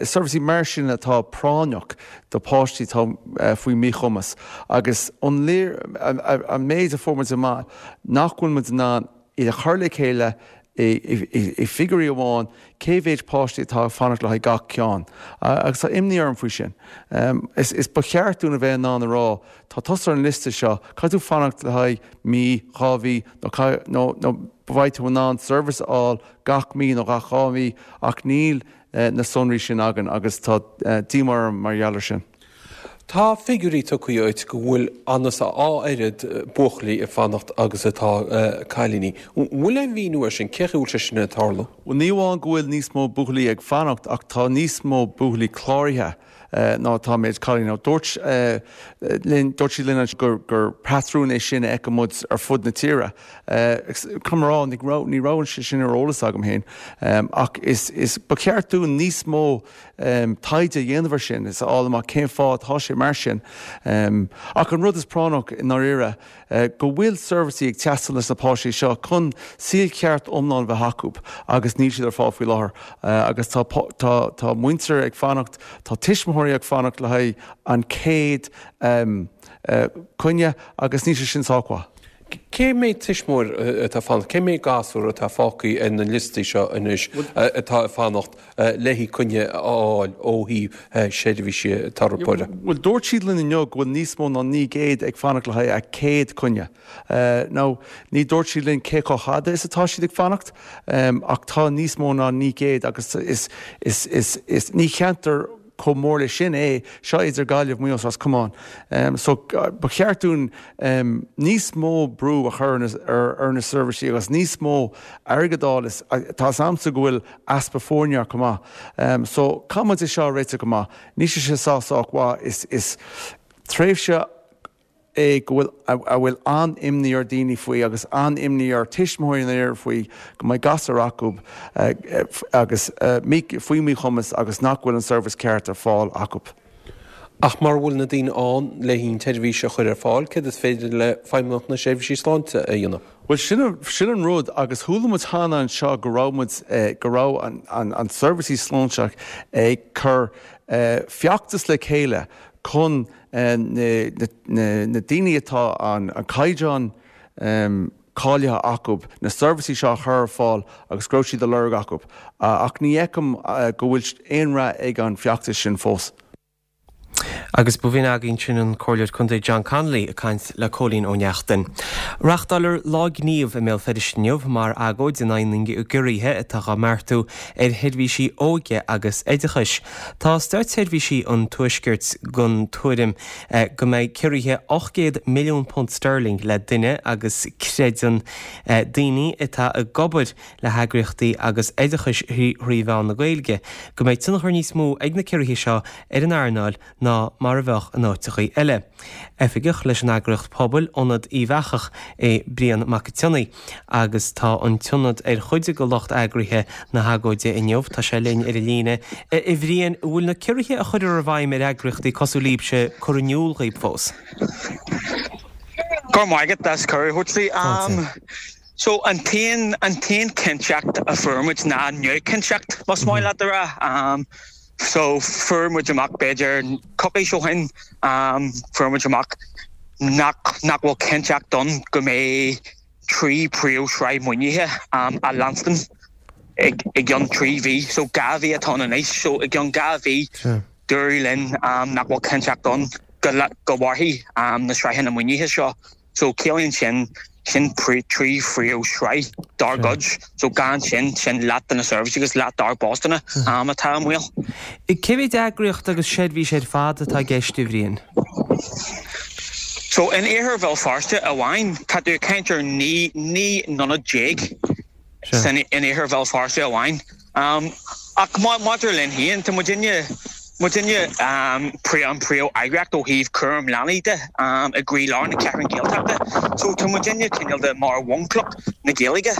[SPEAKER 10] seirbhísí mar sin atá práinneach do pháistí atá faoi mhíchumas agus an léir, an méid a fuair muid amach nach bhfuil muid in ann iad a chur le chéile i figiúirí amháin, cé mhéid páistí atá ag fanacht le haghaidh gach ceann. Agus tá imní orm faoi sin. Is ba cheart dúinn a bheith in ann a rá, tá tusa ar an liosta seo, caithfidh tú fanacht le haghaidh mí, 2 mhí, nó nó beidh tú in ann seirbhís a fháil gach mí nó gach 2 mhí, ach níl na sonraí sin againn agus tá díomá orm mar gheall air sin.
[SPEAKER 6] Tá figiúirí tugtha dhuit go bhfuil anuas a dhá oiread buachaillí ag fanacht agus atá cailíní. An bhfuil aon mhíniú air sin? Cén chaoi a bhfuil sé sin ag tarlú?
[SPEAKER 10] Bhuel, ní amháin go bhfuil níos mó buachaillí ag fanacht ach tá níos mó buachaillí cláraithe ná atá méid cailíní. Dúirt linn, dúirt siad linn ansin gur gur patrún é sin a fheiceann muid ar fud na tíre. Caithfidh mé a rá, ní raibh ní raibh sé sin ar eolas agam féin ach is is ba cheart dúinn níos mó taighde a dhéanamh air sin is a fháil amach cén fáth atá sé mar sin. Ach an rud is práinneach i ndáiríre, go bhfuil seirbhísí ag teastáil leis na páistí seo chun saol ceart iomlán a bheith acu agus níl siad ar fáil faoi láthair agus tá tá tá muintir ag fanacht, tá tuismitheoirí ag fanacht le haghaidh an chéad coinne agus níl sé sin sách mhaith.
[SPEAKER 6] Cé mhéad tuismitheoir atá ag fanacht, cé mhéad gasúr atá fágtha ar na liostaí seo anois atá ag fanacht le haghaidh coinne a fháil ó thaobh seirbhísí teiripeora?
[SPEAKER 10] Bhuel, dúirt siad linn inniu go bhfuil níos mó ná 900 ag fanacht le haghaidh a céad coinne. Now, ní dúirt siad linn cé chomh fada is atá siad ag fanacht, ach tá níos mó ná 900 agus is, is, is, is, ní cheantar chomh mór leis sin é, seo idir Gaillimh, Maigh Eo is Ros Comáin. So, ba cheart dúinn níos mó brú a chur ar na seirbhísí agus níos mó airgead a fháil. Tá 'fhios a'msa go bhfuil easpa foirne chomh maith. So, caithfidh muid é seo a réiteach go maith. Níl sé seo sách sách mhaith. Is, is tréimhse é go bhfuil, a bhfuil an-imní ar daoine faoi agus an-imní ar tuismitheoirí in Éirinn faoi go mbeidh gasúr acu agus faoi mhíchumas agus nach bhfuil an seirbhís ceart ar fáil acu.
[SPEAKER 6] Ach mura bhfuil na daoine ann le haghaidh an tseirbhís a chur ar fáil, céard is féidir le Feidhmeannacht na Seirbhísí Sláinte a dhéanamh?
[SPEAKER 10] Bhuel, sin, sin an rud agus chuala muid cheana anseo go raibh muid, go raibh an, an, an seirbhísí sláinte ag cur feachtas le chéile chun na, na, na daoine atá an, an caighdeán cáilithe acu na seirbhísí seo a chur ar fáil agus go raibh siad á lorg acu. Ach ní fheicim go bhfuil aon rath ag an bhfeachtas sin fós.
[SPEAKER 1] Agus ba bh'in againn sin an Comhairleoir Contae John Connolly ag caint le Cóilín Ó Neachtain. Reáchtáiltear Lá Gnímh i mBéal Feirste inniu mar agóid in aghaidh na gciorruithe atá á mbeartú ar sheirbhísí óige agus oideachais. Tá Státseirbhísí an Tuaiscirt den tuairim go mbeidh ciorruithe £800 milliún sterling le duine agus creideann daoine atá ag obair le heagraíochtaí agus oideachais thrí mheán na Gaeilge go mbeidh tionchar níos mó ag na ciorruithe seo ar an earnáil ná. mar a bheadh in áiteachaí eile. Oifigeach leis an eagraíocht pobail Ionad Uíbh Eachach é Brian Mac an tSionnaigh agus tá an t-ionad ar chuid de lucht eagraithe na hagóide inniu. Tá sé linn ar an líne. A Bhriain, an bhfuil na ciorruithe a chuirfear i bhfeidhm ar eagraíochtaí cosúil libhse curtha in iúl dhaoib fós?
[SPEAKER 11] Go raibh maith agat as cuireadh a thabhairt dom. So an t-aon an t-aon chinnteacht a fuair muid ná neamhchinnteacht, más maith leat a rá. So fuair muid amach b'fhéidir coicís ó shin, fuair muid amach nach nach bhfuil cinnteacht ann go mbeidh 3 príomhshraith maoinithe á leanstan i gceann 3 mhí. So 2 mhí atá ann anois. So i gceann 2 mhí dúradh linn nach bhfuil cinnteacht ann go go mhairfidh na sraitheanna maoinithe seo. So ciallaíonn sin, sin 3 phríomhshraith dár gcuid. So gan sin, sin leath de na seirbhísí agus leath dár bpostanna atá i mbaol.
[SPEAKER 1] Cé mhéad eagraíocht agus seirbhís ar fad atá i gceist, a Bhriain?
[SPEAKER 11] So in iarthar Bhéal Feirste amháin, tá tú ag caint ar 19 n-ionad san in iarthar Bhéal Feirste amháin. Ach maidir linn féin, tá muidinne, muidinne an príomh-eagraíocht ó thaobh cúram leanaí de i gcroílár na Ceathrún Gaeltachta. So tá muidinne cineál de mar bhunchloch na Gaeilge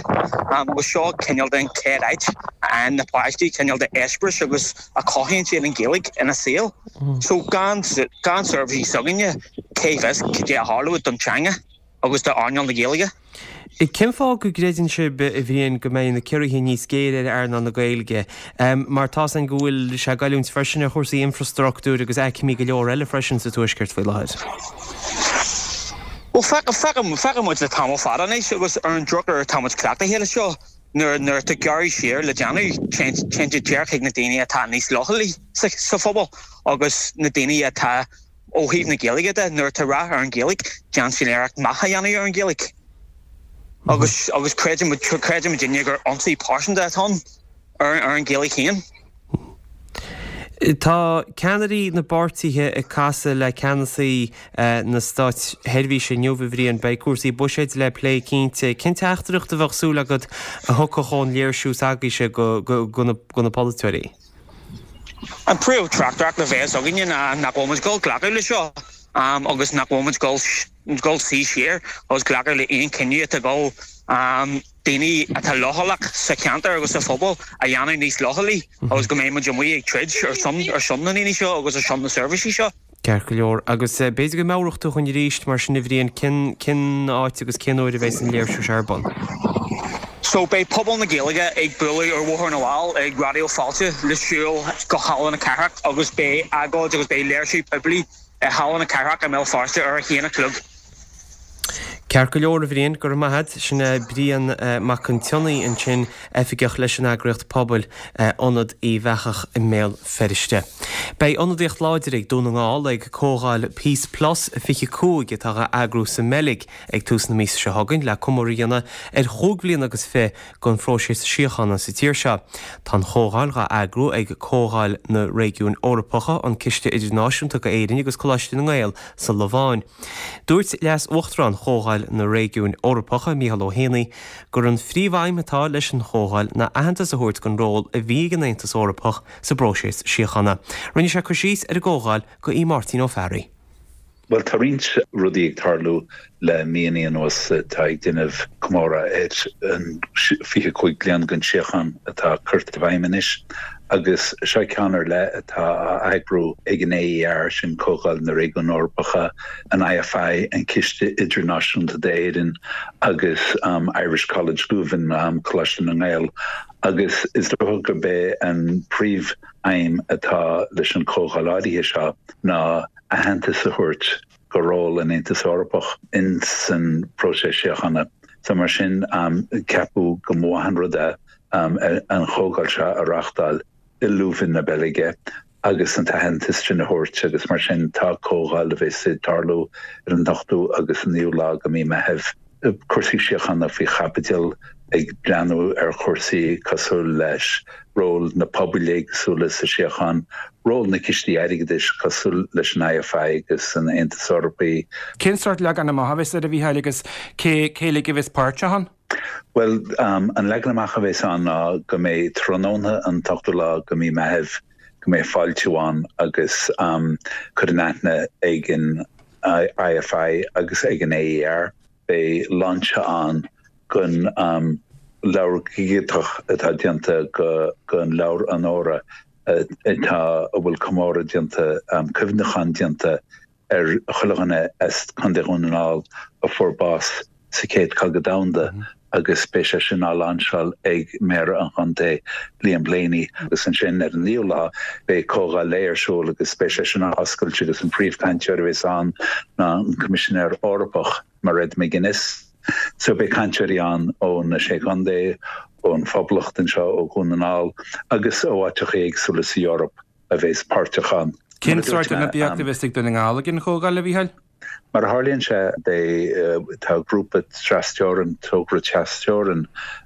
[SPEAKER 11] agus seo cineál de an chéad áit a fhaigheann na páistí cineál de eispéireas agus a chothaíonn siad an Ghaeilge ina saol. So gan, gan seirbhísí s'againne, cé bhfios cad é a tharlódh don teanga. agus d'earnáil na Gaeilge.
[SPEAKER 1] Cén fáth go gcreideann sibh, a Bhriain, go mbeidh na ciorruithe níos géire ar earnáil na Gaeilge? Mar tá's againn go bhfuil sé ag goilliúint freisin ar chúrsaí infreastruchtúir agus aicmí go leor eile freisin sa Tuaisceart faoi láthair.
[SPEAKER 11] Bhuel, feiceann muid le tamall fada anois agus ar an drochuair tá muid cleachtaithe leis seo, nuair atá gearradh siar le déanamh, téann sé díreach chuig na daoine atá níos leochailí sa phobal agus na daoine atá Ó thaobh na Gaeilge de, nuair atá rath ar an Ghaeilge, déanann siad iarracht meath a dhéanamh ar an Ghaeilge. Agus agus creideann creideann muidinne gur ionsaí pearsanta atá ann ar ar an Ghaeilge féin.
[SPEAKER 1] Tá ceannairí na bpáirtithe ag casadh le ceannasaí na státseirbhíse inniu, a Bhriain. Beidh cúrsaí buiséid le plé cinnte. Cén teachtaireacht a bheadh súil agat a thiocfadh ón léirsiú s'agaibhse go go na polaiteoirí?
[SPEAKER 11] An príomh-theachtaireacht a bheas againne ná nach bhfuil muid ag dul glacadh le seo agus nach bhfuil muid ag dul suí siar agus glacadh le aon chinneadh atá ag dul daoine atá leochaileach sa cheantar agus sa phobal a dhéanamh níos leochailí agus go mbeidh muid amuigh ag troid ar son ar son na ndaoine seo agus ar son na seirbhísí seo.
[SPEAKER 1] Ceart go leor. Agus b'fhéidir go meabhródh tú dhúinn arís, mar sin, a Bhriain, cén, cén áit agus cén uair a bheas an léirsiú seo ar bun?
[SPEAKER 11] So, beidh pobal na Gaeilge ag bualadh ar Bhóthar na bhFál ag Raidió Fáilte le siúl go Halla na Cathrach agus beidh agóid agus beidh léirsiú poiblí i Halla na Cathrach i mBéal Feirste ar a haon a chlog.
[SPEAKER 1] Ceart go leor, a Bhriain, go raibh maith a't. Sin é Brian Mac an tSionnaigh ansin, oifigeach leis an eagraíocht pobail Ionad Uíbh Eachach i mBéal Feirste. Beidh ionadaíocht láidir ag Dún na nGall ag Comhdháil Peace Plus 25 atá á eagrú sa mBeilg ag tús na míosa seo chugainn le comóradh a dhéanamh ar chúig bhliana agus fi den phróiseas síochána sa tír seo. Tá an chomhdháil dhá eagrú ag Comhdháil na Réigiún Eorpacha, an Ciste Idirnáisiúnta go Éirinn agus Coláiste na nGael sa Lobháin. Dúirt Leas-Uachtarán Chomhdháil na Réigiúin Eorpacha, Mícheál Ó hÉanaí, gur an phríomhaidhm atá leis an chomhdháil ná aitheantas a thabhairt don ról a bhí ag an Aontas Eorpach sa bpróiseas síochána. Rinne sé cur síos ar an gcomhdháil go Aodh Máirtín Ó Fearraigh.
[SPEAKER 12] Bhuel, tá roinnt rudaí ag tarlú le míonna anuas atá ag déanamh comóradh ar an 25 bliain den tsíocháin atá curtha i bhfeidhm anois. Agus seo ceann ar leith atá á eagrú ag an AER, sin Comhdháil na Réigiún Eorpacha, an IFI, an Ciste Idirnáisiúnta d'Éirinn, agus Irish College Leuven, Coláiste na nGael. Agus is dócha gurb é an príomh-aidhm atá leis an chomhdháil áirithe seo ná aitheantas a thabhairt go ról an Aontais Eorpach in san próiseas síochána. So mar sin, ceapadh go mba mhaith an rud é an chomhdháil seo a reáchtáil i Leuven na Beilge agus an t-aitheantas sin a thabhairt agus mar sin tá comhdháil a bheas ag tarlú ar an ochtú agus an naoú lá de mhí Meithimh. Cúrsaí síochána faoi chaibidil, ag breathnú ar chúrsaí cosúil leis ról na pobail éagsúla sa síocháin, ról na cistí airgeadais cosúil leis an IFI agus an Aontas Eorpaí.
[SPEAKER 13] Cén sórt leagan amach a bheas air, a Mhícheáil, agus cé cé uilig a bheas páirteach ann?
[SPEAKER 12] Bhuel, an leagan amach a bheas ann ná go mbeidh tráthnóna an t-ochtú lá de mhí Meithimh. go mbeidh fáiltiú ann agus cur in aithne ag an IFI agus ag an AER. Beidh lainse ann den leabhar dhigiteach atá déanta den leabhar onóra atá a bhfuil comóradh déanta, cuimhneachán déanta ar chuile dhuine as Contae Dhún na nGall a fuair bás sa Chéad Chogadh Domhanda agus beidh sé sin á lainseáil ag Méara an Chontae, Liam Blaney agus ansin ar an naoú lá beidh comhdháil lae ar siúl agus beidh sé sin á oscailt agus an príomhchainteoir a bheas ann ná an Coimisinéir Eorpach, Mairead McGuinness. So beidh cainteoirí ann ó na Sé Chontae, ón Phoblacht anseo, ó Dhún na nGall agus ó áiteacha éagsúla sa Eoraip. a bheas páirteach ann.
[SPEAKER 13] Cén sórt ionadaíocht a bheas ag Dún na nGall ag an chomhdháil, a Mhícheáil?
[SPEAKER 12] Mar a tharlaíonn sé, beidh, tá grúpa trasteorann, togra trasteorann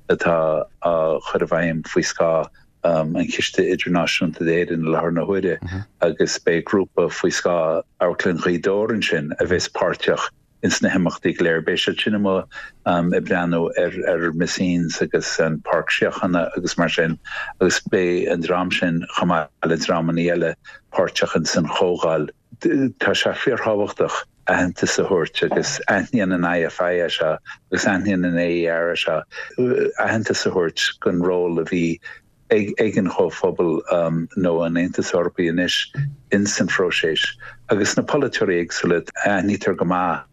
[SPEAKER 12] atá á chur i bhfeidhm faoi scáth an Chiste Idirnáisiúnta d'Éirinn i láthair na huaire agus beidh grúpa faoi scáth Amharclann Ghaoth Dobhair ansin a bheas páirteach ins na himeachtaí go léir. Beidh siad sin amuigh ag breathnú ar ar Messines agus an Páirc Síochána agus mar sin agus beidh an dream sin chomh maith le dreamanna eile páirteach ins an chomhdháil. Tá sé fíorthábhachtach aitheantas a thabhairt agus aithníonn an IFI é seo agus aithníonn an AER é seo, aitheantas a thabhairt don ról a bhí ag an Chomhphobal nó an Aontas Eorpaí anois ins an phróiseas agus na polaiteoirí éagsúla, aithnítear go maith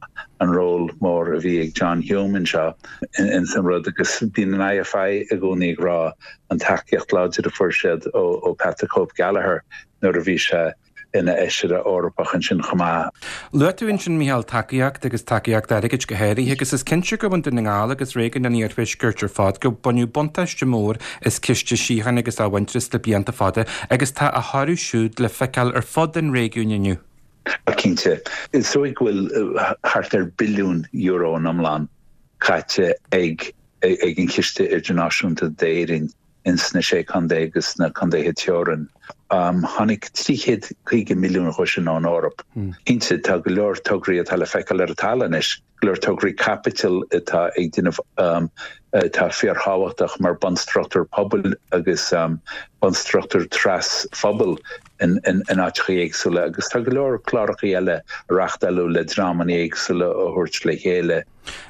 [SPEAKER 12] an ról mór a bhí ag John Hume anseo ins an rud agus bíonn an IFI i gcónaí ag rá an tacaíocht láidir a fuair siad ó Pat the Cope Gallagher nuair a bhí sé ina fheisire Eorpach ansin chomh maith.
[SPEAKER 13] Luaigh tú ansin, Mícheál, tacaíocht agus tacaíocht airgid go háirithe agus is cinnte gur bhain Dún na nGall agus réigiún an Iarthuaiscirt ar fad gur baineadh buntáiste mór as Ciste Síochána agus Athmhuintearais le blianta fada agus tá a thoradh siúd le feiceáil ar fud an réigiúin inniu.
[SPEAKER 12] Cinnte. Is dóigh go bhfuil thart ar billiún euro in iomlán caite ag an Chiste Idirnáisiúnta d'Éirinn ins na Sé Contae agus na contaetha teorann. Tháinig 350 milliún dhó sin ón Eoraip. Cinnte, tá go leor tograí atá le feiceáil ar an talamh anois, go leor tograí caipitil atá ag déanamh atá fíorthábhachtach mar bunstruchtúr pobail agus bunstruchtúr tras-phobail in áiteacha éagsúla agus tá go leor cláracha eile á reáchtáil le dreamanna éagsúla a thabhairt le chéile.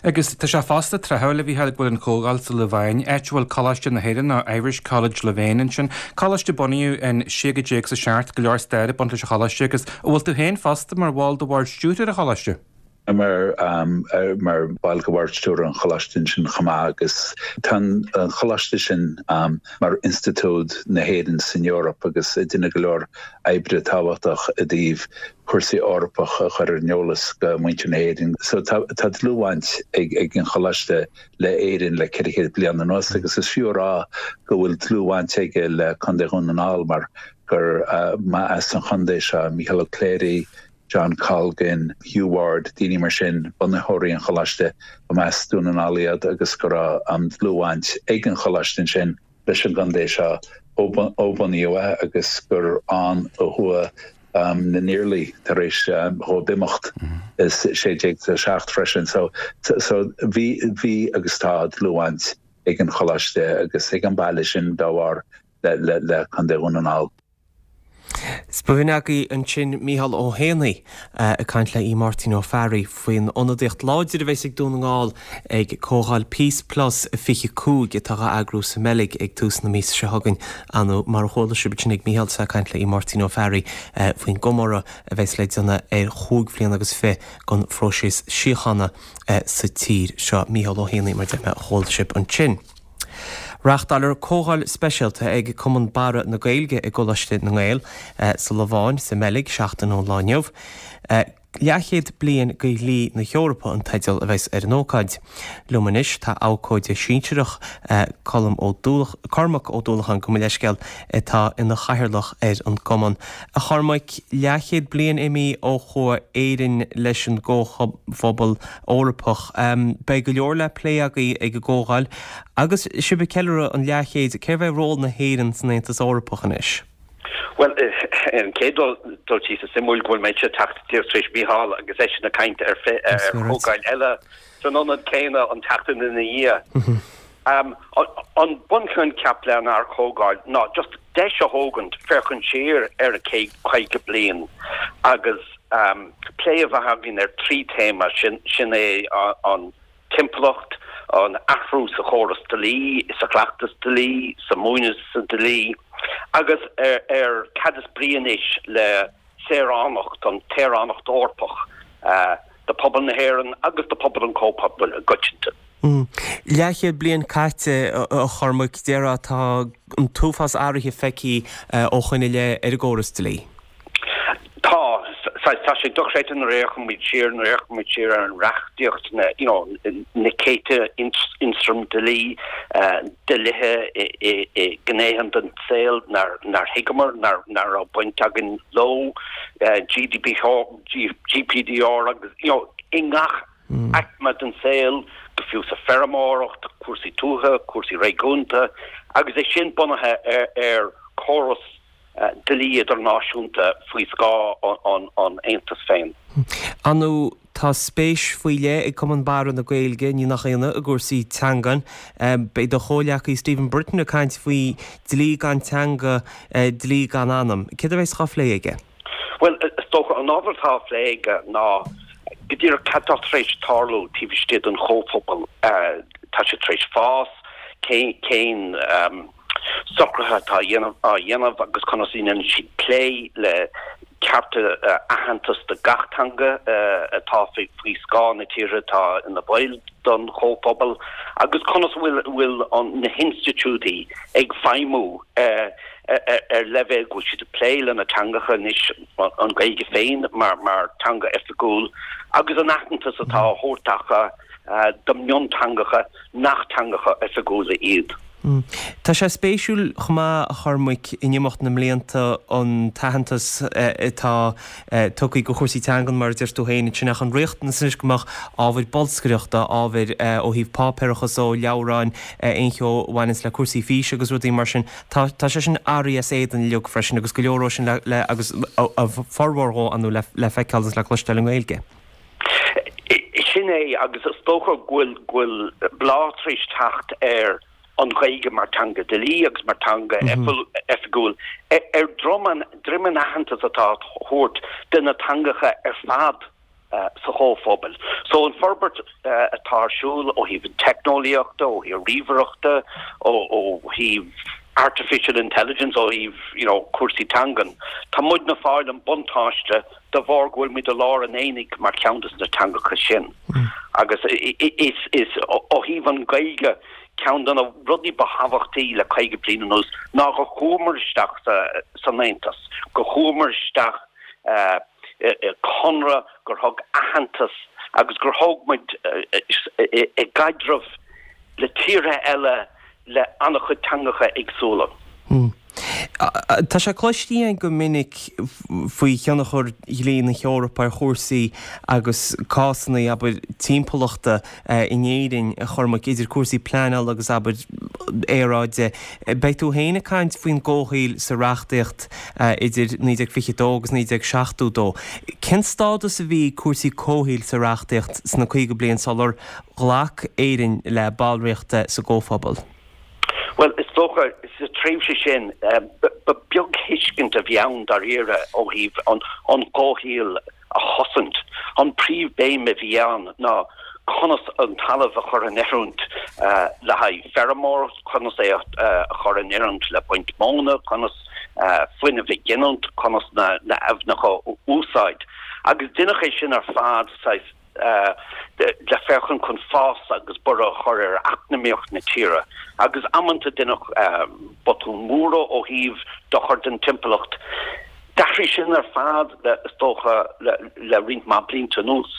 [SPEAKER 13] Agus tá sé fosta tráthúil, a Mhícheáil, go bhfuil an chomhdháil sa Lováin, áit a bhfuil Coláiste na hÉireann, nó Irish College Louvain ansin, coláiste a bunaíodh in 1607, go leor staire ag baint leis an choláiste, agus a bhfuil tú féin fosta mar bhall de bhord stiúrtha an choláiste.
[SPEAKER 12] Mar mar bhall de bhord stiúrtha an choláiste ansin chomh maith, agus tá an choláiste sin mar institiúid na hÉireann san Eoraip agus ag déanamh go leor oibre tábhachtach i dtaobh cúrsaí Eorpach a chur ar an eolas go muintir na hÉireann. So tá dlúthbhaint ag an Choláiste le Éirinn le 400 bliain anuas agus is fiú a rá go bhfuil dlúthbhaint aige le Contae Dhún na nGall mar gur mba as an chontae seo Mícheál Ó Cléirigh, John Colgan, Hugh Ward, daoine mar sin, bunaitheoirí an Choláiste, go mba as Dún na nGall iad agus go raibh dlúthbhaint ag an Choláiste ansin leis an gcontae seo ó bunaíodh é agus gur ann a chuaigh na nIarlaí tar éis dhóibh imeacht i 1607 freisin. So so bhí bhí agus tá dlúthbhaint ag an choláiste agus ag an baile sin dá bharr le le le Contae Dhún na nGall.
[SPEAKER 1] Is b'shin agaibh ansin Mícheál Ó hÉanaí ag caint le Aodh Máirtín Ó Fearraigh faoin ionadaíocht láidir a bheas ag Dún na nGall ag Comhdháil Peace Plus 25 atá á eagrú sa mBeilg ag tús na míosa seo chugainn. Nó mar a chuala sibh ansin ag Mícheál is é ag caint le Aodh Máirtín Ó Fearraigh faoin gcomóradh a bheas le déanamh ar chúig bhliana agus fi den phróiseas síochána sa tír seo. Mícheál Ó hÉanaí mar a deir mé a chuala sibh ansin. Reáchtálfar comhdháil speisialta ag Cumann Barra na Gaeilge i gColáiste na nGael sa Lováin sa mBeilg seachtain ón lá inniu. Leathchéad bliain de dhlí na hEorpa an teideal a bheas ar an ócáid. Liom anois tá abhcóide sinsearach Colm Ó Cormac Ó Dúlacháin, gabh mo leithscéal, atá ina chathaoirleach ar an gcumann. A Chormaic, leathchéad bliain imithe ó chuaigh Éirinn leis an gComhphobal Eorpach. Beidh go leor le plé agaibh ag an gcomhdháil. Agus sibh ag ceiliúradh an leathchéid, cérbh é ról na hÉireann san Aontas Eorpach anois?
[SPEAKER 14] Bhuel, ar an gcéad dul síos, is suimiúil go bhfuil mise ag teacht díreach tar éis Mícheál agus eisean ag caint ar chomhdháil eile san ionad céanna an tseachtain ina dhiaidh. An bunchoincheap lenár gcomhdháil ná just. deis a thógaint féachaint siar ar an chéad 50 bliain agus plé a bheith againn ar thrí théama, sin é an timpeallacht, an athrú sa chóras dlí, sa chleachtas dlí, sa múineadh sa dlí agus ar cad is brí anois le saoránacht, an tsaoránacht Eorpach do phobal na hÉireann agus do phobal an Chomhphobail i gcoitinne.
[SPEAKER 1] Leathchéad bliain caite, a Chormaic, déarfá, tá an t-uafás athraithe feicthe ó shoin i leith ar an gcóras dlí.
[SPEAKER 14] Tá, saghas, tá sé dochreidte nuair a fhéachann muid siar, nuair a fhéachann muid siar ar an reachtaíocht, na, you know, na céadta ionstraim dlí, dlíthe i, i ngnéithe den saol nár, nár thuigeamar, nár, nár raibh baint againn leo, GDPR, GPDR agus, you know, i ngach aicme den saol, go fiú sa feirmeoireacht, cúrsaí tuaithe, cúrsaí réigiúnta, agus é sin bunaithe ar, ar chóras dlí idirnáisiúnta faoi scáth an Aontais féin.
[SPEAKER 1] Ar ndóigh, tá spéis faoi leith ag Cumann Barra na Gaeilge, ní nach ionadh, i gcúrsaí teangan. Beidh do chomhghleacaí Stephen Britton ag caint faoi dlí gan teanga, dlí gan anam. Céard a bheas á phlé aige?
[SPEAKER 14] Bhuel, is dócha, an ábhar atá á phlé aige ná go díreach cad tá tar éis tarlú taobh istigh den chomhphobal. Tá sé tar éis fás, cén socruithe atá á dhéanamh agus conas a dhéanann siad plé le cearta aitheantas do gach teanga atá faoi scáth na tíortha atá ina bhaill den chomhphobal agus conas a bhfuil na hinstitiúidí ag feidhmiú ar leibhéal go bhfuil siad ag plé le na teangacha anois, an Ghaeilge féin mar teanga oifigiúil agus an aitheantas atá á thabhairt acu do mhionteangacha nach teangacha oifigiúla iad.
[SPEAKER 1] Tá sé spéisiúil chomh maith, a Chormaic, in imeacht na mblianta an t-aitheantas atá tugtha do chúrsaí teangan, mar a deir tú féin ansin, ach an riachtanas anois go mbeadh ábhair bolscaireachta, ábhair ó thaobh páipéarachas ó leabhráin, aon cheo a bhaineanns le cúrsaí físe agus rudaí mar sin, tá tá sé sin athraithe as éadan uilig freisin agus go leor dhó sin le agus a formhór dhó, ar ndóigh, le feiceáil agus le cloisteáil i nGaeilge.
[SPEAKER 14] Sin é, agus is dócha go bhfuil, go bhfuil bláth tar éis teacht ar an Ghaeilge mar teanga dlí agus mar teanga oifigiúil ar dhroim an, droim an aitheantas atá á thabhairt do na teangacha ar fad sa chomhphobal. So an forbairt atá ar siúl ó thaobh an teicneolaíochta, ó thaobh ríomhaireachta, ó thaobh artificial intelligence, ó thaobh, you know, cúrsaí teangan, tá muidne ag fáil an buntáiste de bharr go bhfuil muid i lár an aonaigh mar cheann de na teangacha sin. Agus is ó thaobh an Ghaeilge, ceann de na rudaí ba thábhachtaí le 50 bliain anuas ná go chuamar isteach san Aontas, go chuamar isteach i conradh gur thug aitheantas agus gur thóg muid i gcaidreamh le tíortha eile le an-chuid teangacha éagsúla.
[SPEAKER 1] Tá sé cloiste againn go minic faoi thionchar dhlí na hEorpa ar chúrsaí agus cásanna, abair, timpeallachta in Éirinn, a Chormaic, idir cúrsaí pleanála agus, abair, aeráide. Beidh tú féin ag caint faoin gcomhshaoil sa reachtaíocht idir 1922 agus 1972. Cén stádas a bhí ag cúrsaí comhshaoil sa reachtaíocht sna 50 bliain sular ghlac Éirinn le ballraíocht sa gComhphobal?
[SPEAKER 14] Bhuel, is dócha, sa tréimhse sin, ba beag thuiscint a bhí ann dáiríre ó thaobh an comhshaol a chosaint. An príomhbhéim a bhí ann ná conas an talamh a chur in oiriúint le haghaidh feirmeoireacht, conas é a chur in oiriúint le baint móna, conas fuinneamh a ghiniúint, conas na haibhneacha a úsáid. Agus deineadh é sin ar fad saghas le féachaint chun fás agus borradh a chur ar eacnamaíocht na tíre, agus amanta deineadh botúin mhóra ó thaobh dochar don timpeallacht. D'athraigh sin ar fad, is dócha, le roinnt mhaith blianta anuas,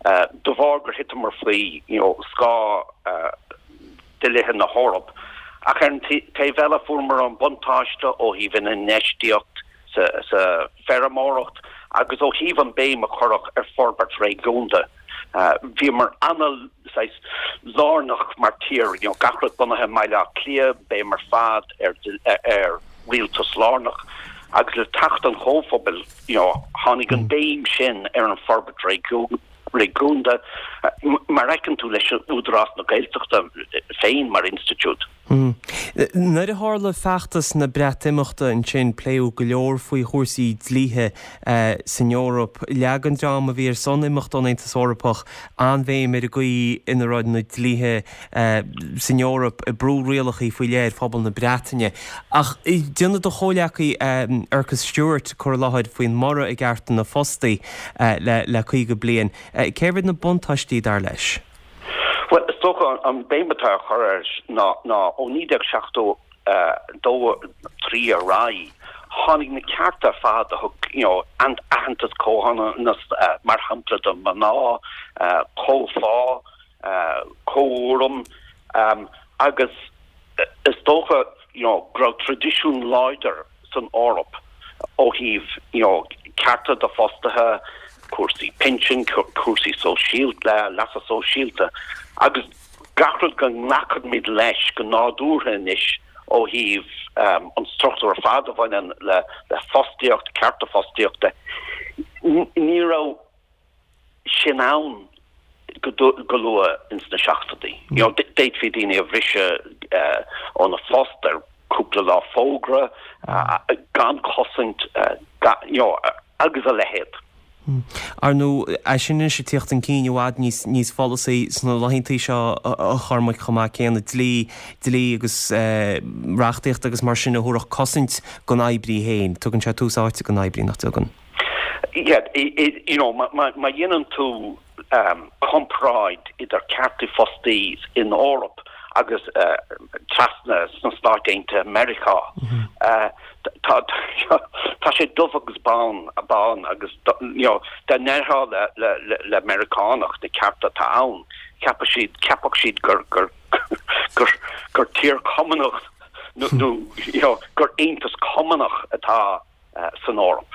[SPEAKER 14] de bharr gur thiteamar faoi scáth dlíthe na hEorpa. Ach ar an taobh eile, fuaireamar an buntáiste ó thaobh an infheistíocht sa feirmeoireacht agus ó thaobh an béim a cuireadh ar forbairt réigiúnda. Bhíomar ana saghas lárnach mar tír, you know, gach rud bunaithe i mBaile Átha Cliath, béim ar fad ar ar rialtas lárnach agus le teacht an Chomhphobail, you know, tháinig an béim sin ar an forbairt réigiúnda. réigiúnda, mar a fheiceann tú leis Údarás na Gaeltachta féin mar institiúid.
[SPEAKER 1] Nuair a tharla feachtas na Breatimeachta ansin, pléadh go leor faoi chúrsaí dlíthe san Eoraip. Leag an dream a bhí ar son imeacht ón Aontas Eorpach an-bhéim ar an gcaoi ina raibh na dlíthe san Eoraip ag brú rialacha faoi leith ar phobal na Breataine. Ach déanfaidh do chomhleacaí Fergus Stewart cur i láthair faoin mborradh i gcearta na fostaí le 50 bliain. Cérbh iad na buntáistí dar leis?
[SPEAKER 14] Bhuel, is dócha an béim atá á chur air ná ó 1972, 3 ar aghaidh, tháinig na cearta ar fad a thug, you know, aitheantas, comhionannas, mar shampla do mhná, comhphá, comhurraim agus is dócha, you know, go raibh traidisiún láidir san Eoraip ó thaobh, you know, cearta do fostaithe, cúrsaí pinsin, cúrsaí sóisialta, leasa sóisialta agus gach rud go nglacaimid leis go nádúrtha anois ó thaobh an struchtúr ar fad a bhaineann le fostaíocht, cearta fostaíochta. Ní raibh sin ann go luath ins na seachtóidí. You know, d'fhéadfaí daoine a bhriseadh óna phost ar cúpla lá fógra, gan cosaint, you know, agus a leithéid.
[SPEAKER 1] Ar ndóigh, é sin anois ag tíocht chun cinn i bhfad níos níos follasaí sna laethanta seo a Chormaic chomh maith céanna, dlí, dlí agus reachtaíocht agus mar sin a thabharfadh cosaint don oibrí féin. Tugann sé tús áite don oibrí, nach dtugann?
[SPEAKER 14] Yeah, you know, má dhéanann tú comparáid idir cearta fostaí in Eoraip agus trasna sna Stáit Aontaithe Meiriceá, tá tá sé dubh agus bán, bán agus you know, dá ndéarfá le le le Meiriceánach na cearta atá ann, cheapfadh siad, cheapfadh siad gur gur gur gur tír cumannach nó you know, gur aontas cumannach atá san Eoraip.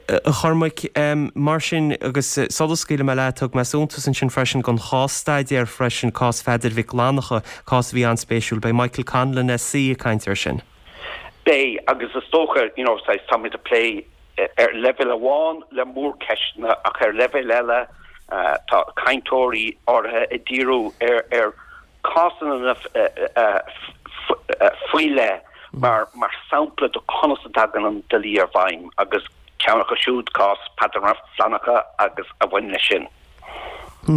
[SPEAKER 1] A Chormaic, mar sin, agus sula scaoilfidh mé leat, thug mé suntas ansin freisin don chás-staidéar freisin, cás Pheadair Mhic Fhlannchadha, cás a bhí an-spéisiúil. Beidh Michael Conlon SC ag caint air sin.
[SPEAKER 14] Beidh, agus is dócha, you know, saghas, táimid ag plé ar leibhéal amháin le mórcheisteanna ach ar leibhéal eile tá cainteoirí áirithe ag díriú ar, ar, cásanna faoi leith mar sampla de conas a dtagann an dlí i bhfeidhm agus ceann acu siúd, cás Peadar Mac Fhlannchadha agus a bhain leis sin.
[SPEAKER 1] A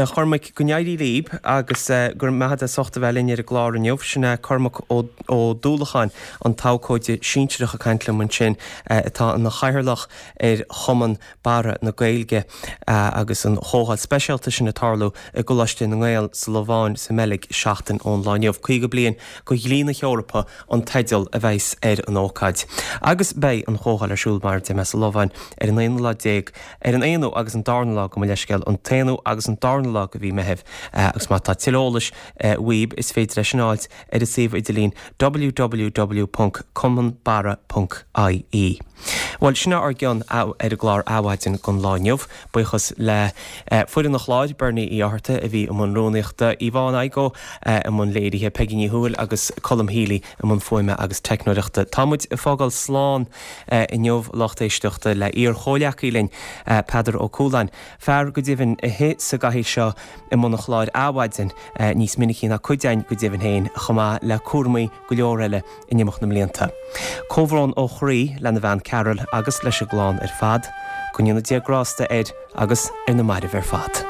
[SPEAKER 1] Chormaic, go n-éirí libh agus go raibh maith agat as ucht a bheith linn ar an gclár inniu. Sin é Cormac Ó Dúlacháin, an t-abhcóide sinsearach ag caint liom ansin, atá ina chathaoirleach ar Chumann Barra na Gaeilge agus an chomhdháil speisialta sin ag tarlú i gColáiste na nGael sa Lobháin sa mBeilg seachtain ón lá inniu. 50 bliain de dhlí na hEorpa an teideal a bheas ar an ócáid. Agus beidh an chomhdháil ar siúl mar a deir mé sa Lobháin ar an aonú lá déag, ar an aonú agus an darna lá, gabh mo leithscéal, an t-aonú agus an darna lá de mhí Meithimh. Agus má tá tuilleadh eolais uaibh is féidir é sin a fháilt ar an suíomh idirlín www.cumannbarra.ie. Bhuel, sin é ár gcion ar an gclár Adhmhaidin don lá inniu. Buíochas le foireann an chláir, Bernie Uí Fhátharta a bhí i mbun rúnaíochta, Yvonne Igoe i mbun léirithe, Peigí Ní Thuathail agus Colm Healy i mbun fuaime agus teicneoireachta. Tá muid ag fágáil slán inniu, lucht éisteachta, le iar-chomhleacaí linn, Peadar Ó Cualáin, fear go deimhin a shuigh sa gcathaoir seo i mbun an chláir Adhmhaidin níos minicí ná cuid againn go deimhin féin, chomh maith le cúramaí go leor eile in imeacht na mblianta. Comhbhrón ó chroí lena bhean Carol agus leis an gclann ar fad. Go ndéana Dia grásta air agus ar na mairbh ar fad.